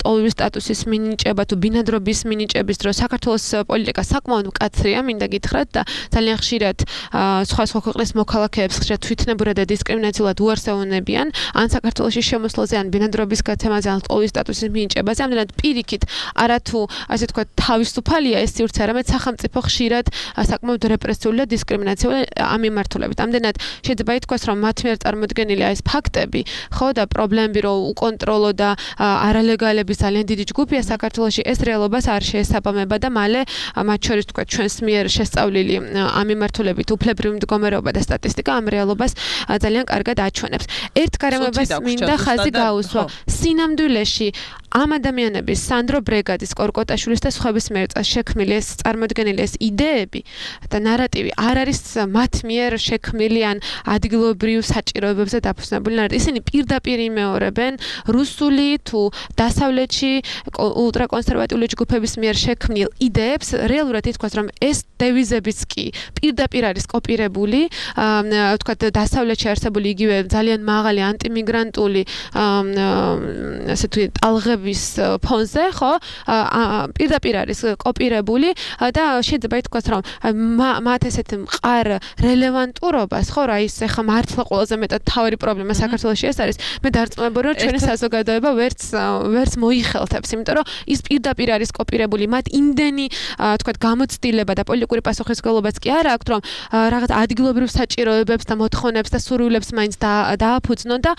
ტოლვის სტატუსის მინიჭება თუ ბინადრობის მინიჭების დროს საქართველოს პოლიტიკა საკმაოდ მკაცრია, მინდა გითხრათ და ძალიან ხშირად სხვა ქვეყნის მოქალაქეებს ხშირად თვითნებურად და დისკრიმინაციულად უარსებუნებიან ან საქართველოში შემოსვლაზე ან ბინადრობის გაცემაზე ან ტოლვის სტატუსის მინიჭებაზე, ამდენად პირიქით არათუ ასე თქვა თავისუფალია ეს სივრცე, არამედ სახელმწიფო ხშირად საკმაოდ რეპრესიული და დისკრიმინაციული ამ მიმართულებით. ამდენად შეიძლება ითქვას, რომ მათ მიერ წარმოდგენილი ეს ფაქტები, ხო და პრობლემები, რომ უკონტროლო და არალეგალების ძალიან დიდი ჯგუფია საქართველოში, ეს რეალობას არ შეესაბამება და მალე მათ შორის თქვა ჩვენს მიერ შესწავლილი ამ მიმართულებით უფლებრივი მდგომარეობა და სტატისტიკა ამ რეალობას ძალიან კარგად აჩვენებს. ერთ გარემოებას მინდა ხაზი გაუსვა. სინამდვილეში ამ ადამიანების სანდრო ბრეგადის, კორკოტაშვილის და სხვების მიერ შექმნილი ეს წარმოდგენილი ეს იდეები და ნარატივი არ არის მათ მიერ შექმნილი ან ადგილობრივ საჭიროებებზე დაფუძნებული. ისინი პირდაპირ იმეორებენ რუსული თუ დასავლეთში ულტრაკონსერვატიული ჯგუფების მიერ შექმნილ იდეებს. რეალურად ითქვას, რომ ეს დევიზებიც კი პირდაპირ არის კოპირებული, ვთქვათ, დასავლეთში არსებული იგივე ძალიან მაღალი ანტიმიგრანტული ასე თუ ტალღების ფონზე, ხო? პირდაპირ არის კოპირებული და შეიძლება ითქვას, რომ მათ ესეთ მყარ რელევანტურობას, ხო, რა ის ახლა მართლა ყველაზე მეტად თავი პრობლემა საქართველოში ეს არის. მე დარწმუნებული რომ ჩვენი საზოგადოება ვერც მოიხელთებს, იმიტომ რომ ის პირდაპირ არის კოპირებული, მათ იმდენი ვთქვათ გამოცდილება და პოლიტიკური პასუხისმგებლობაც კი არ აქვს, რომ რაღაც ადგილობრივ საჭიროებებს და მოთხოვნებს და სურვილებს მაინც დააფუძნონ და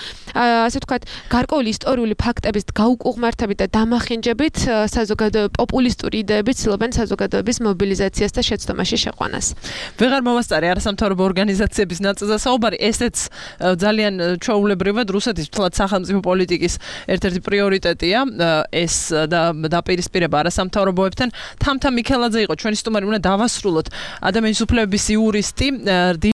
ასე ვთქვათ გარკვეული ისტორიული ფაქტების გაუკუღმართებით და დამახინჯებით საზოგადოების პოპულისტური იდეებით ცდილობენ საზოგადოების მობილიზაციას და შეცდომაში შეყვანას. ვეღარ მომასწარე არასამთავრობო ორგანიზაციების ნაწილზე საუბარი, ესეც ძალიან ჩვეულებრივად რუსეთის თლად სახელმწიფო პოლიტიკის ერთ-ერთი პრიორიტეტია, ეს დაპირისპირება არასამთავრობოებთან. თამთა მიქელაძე იყო ჩვენი სტუმარი, უნდა დავასრულოთ ადამიანის უფლებების იურისტი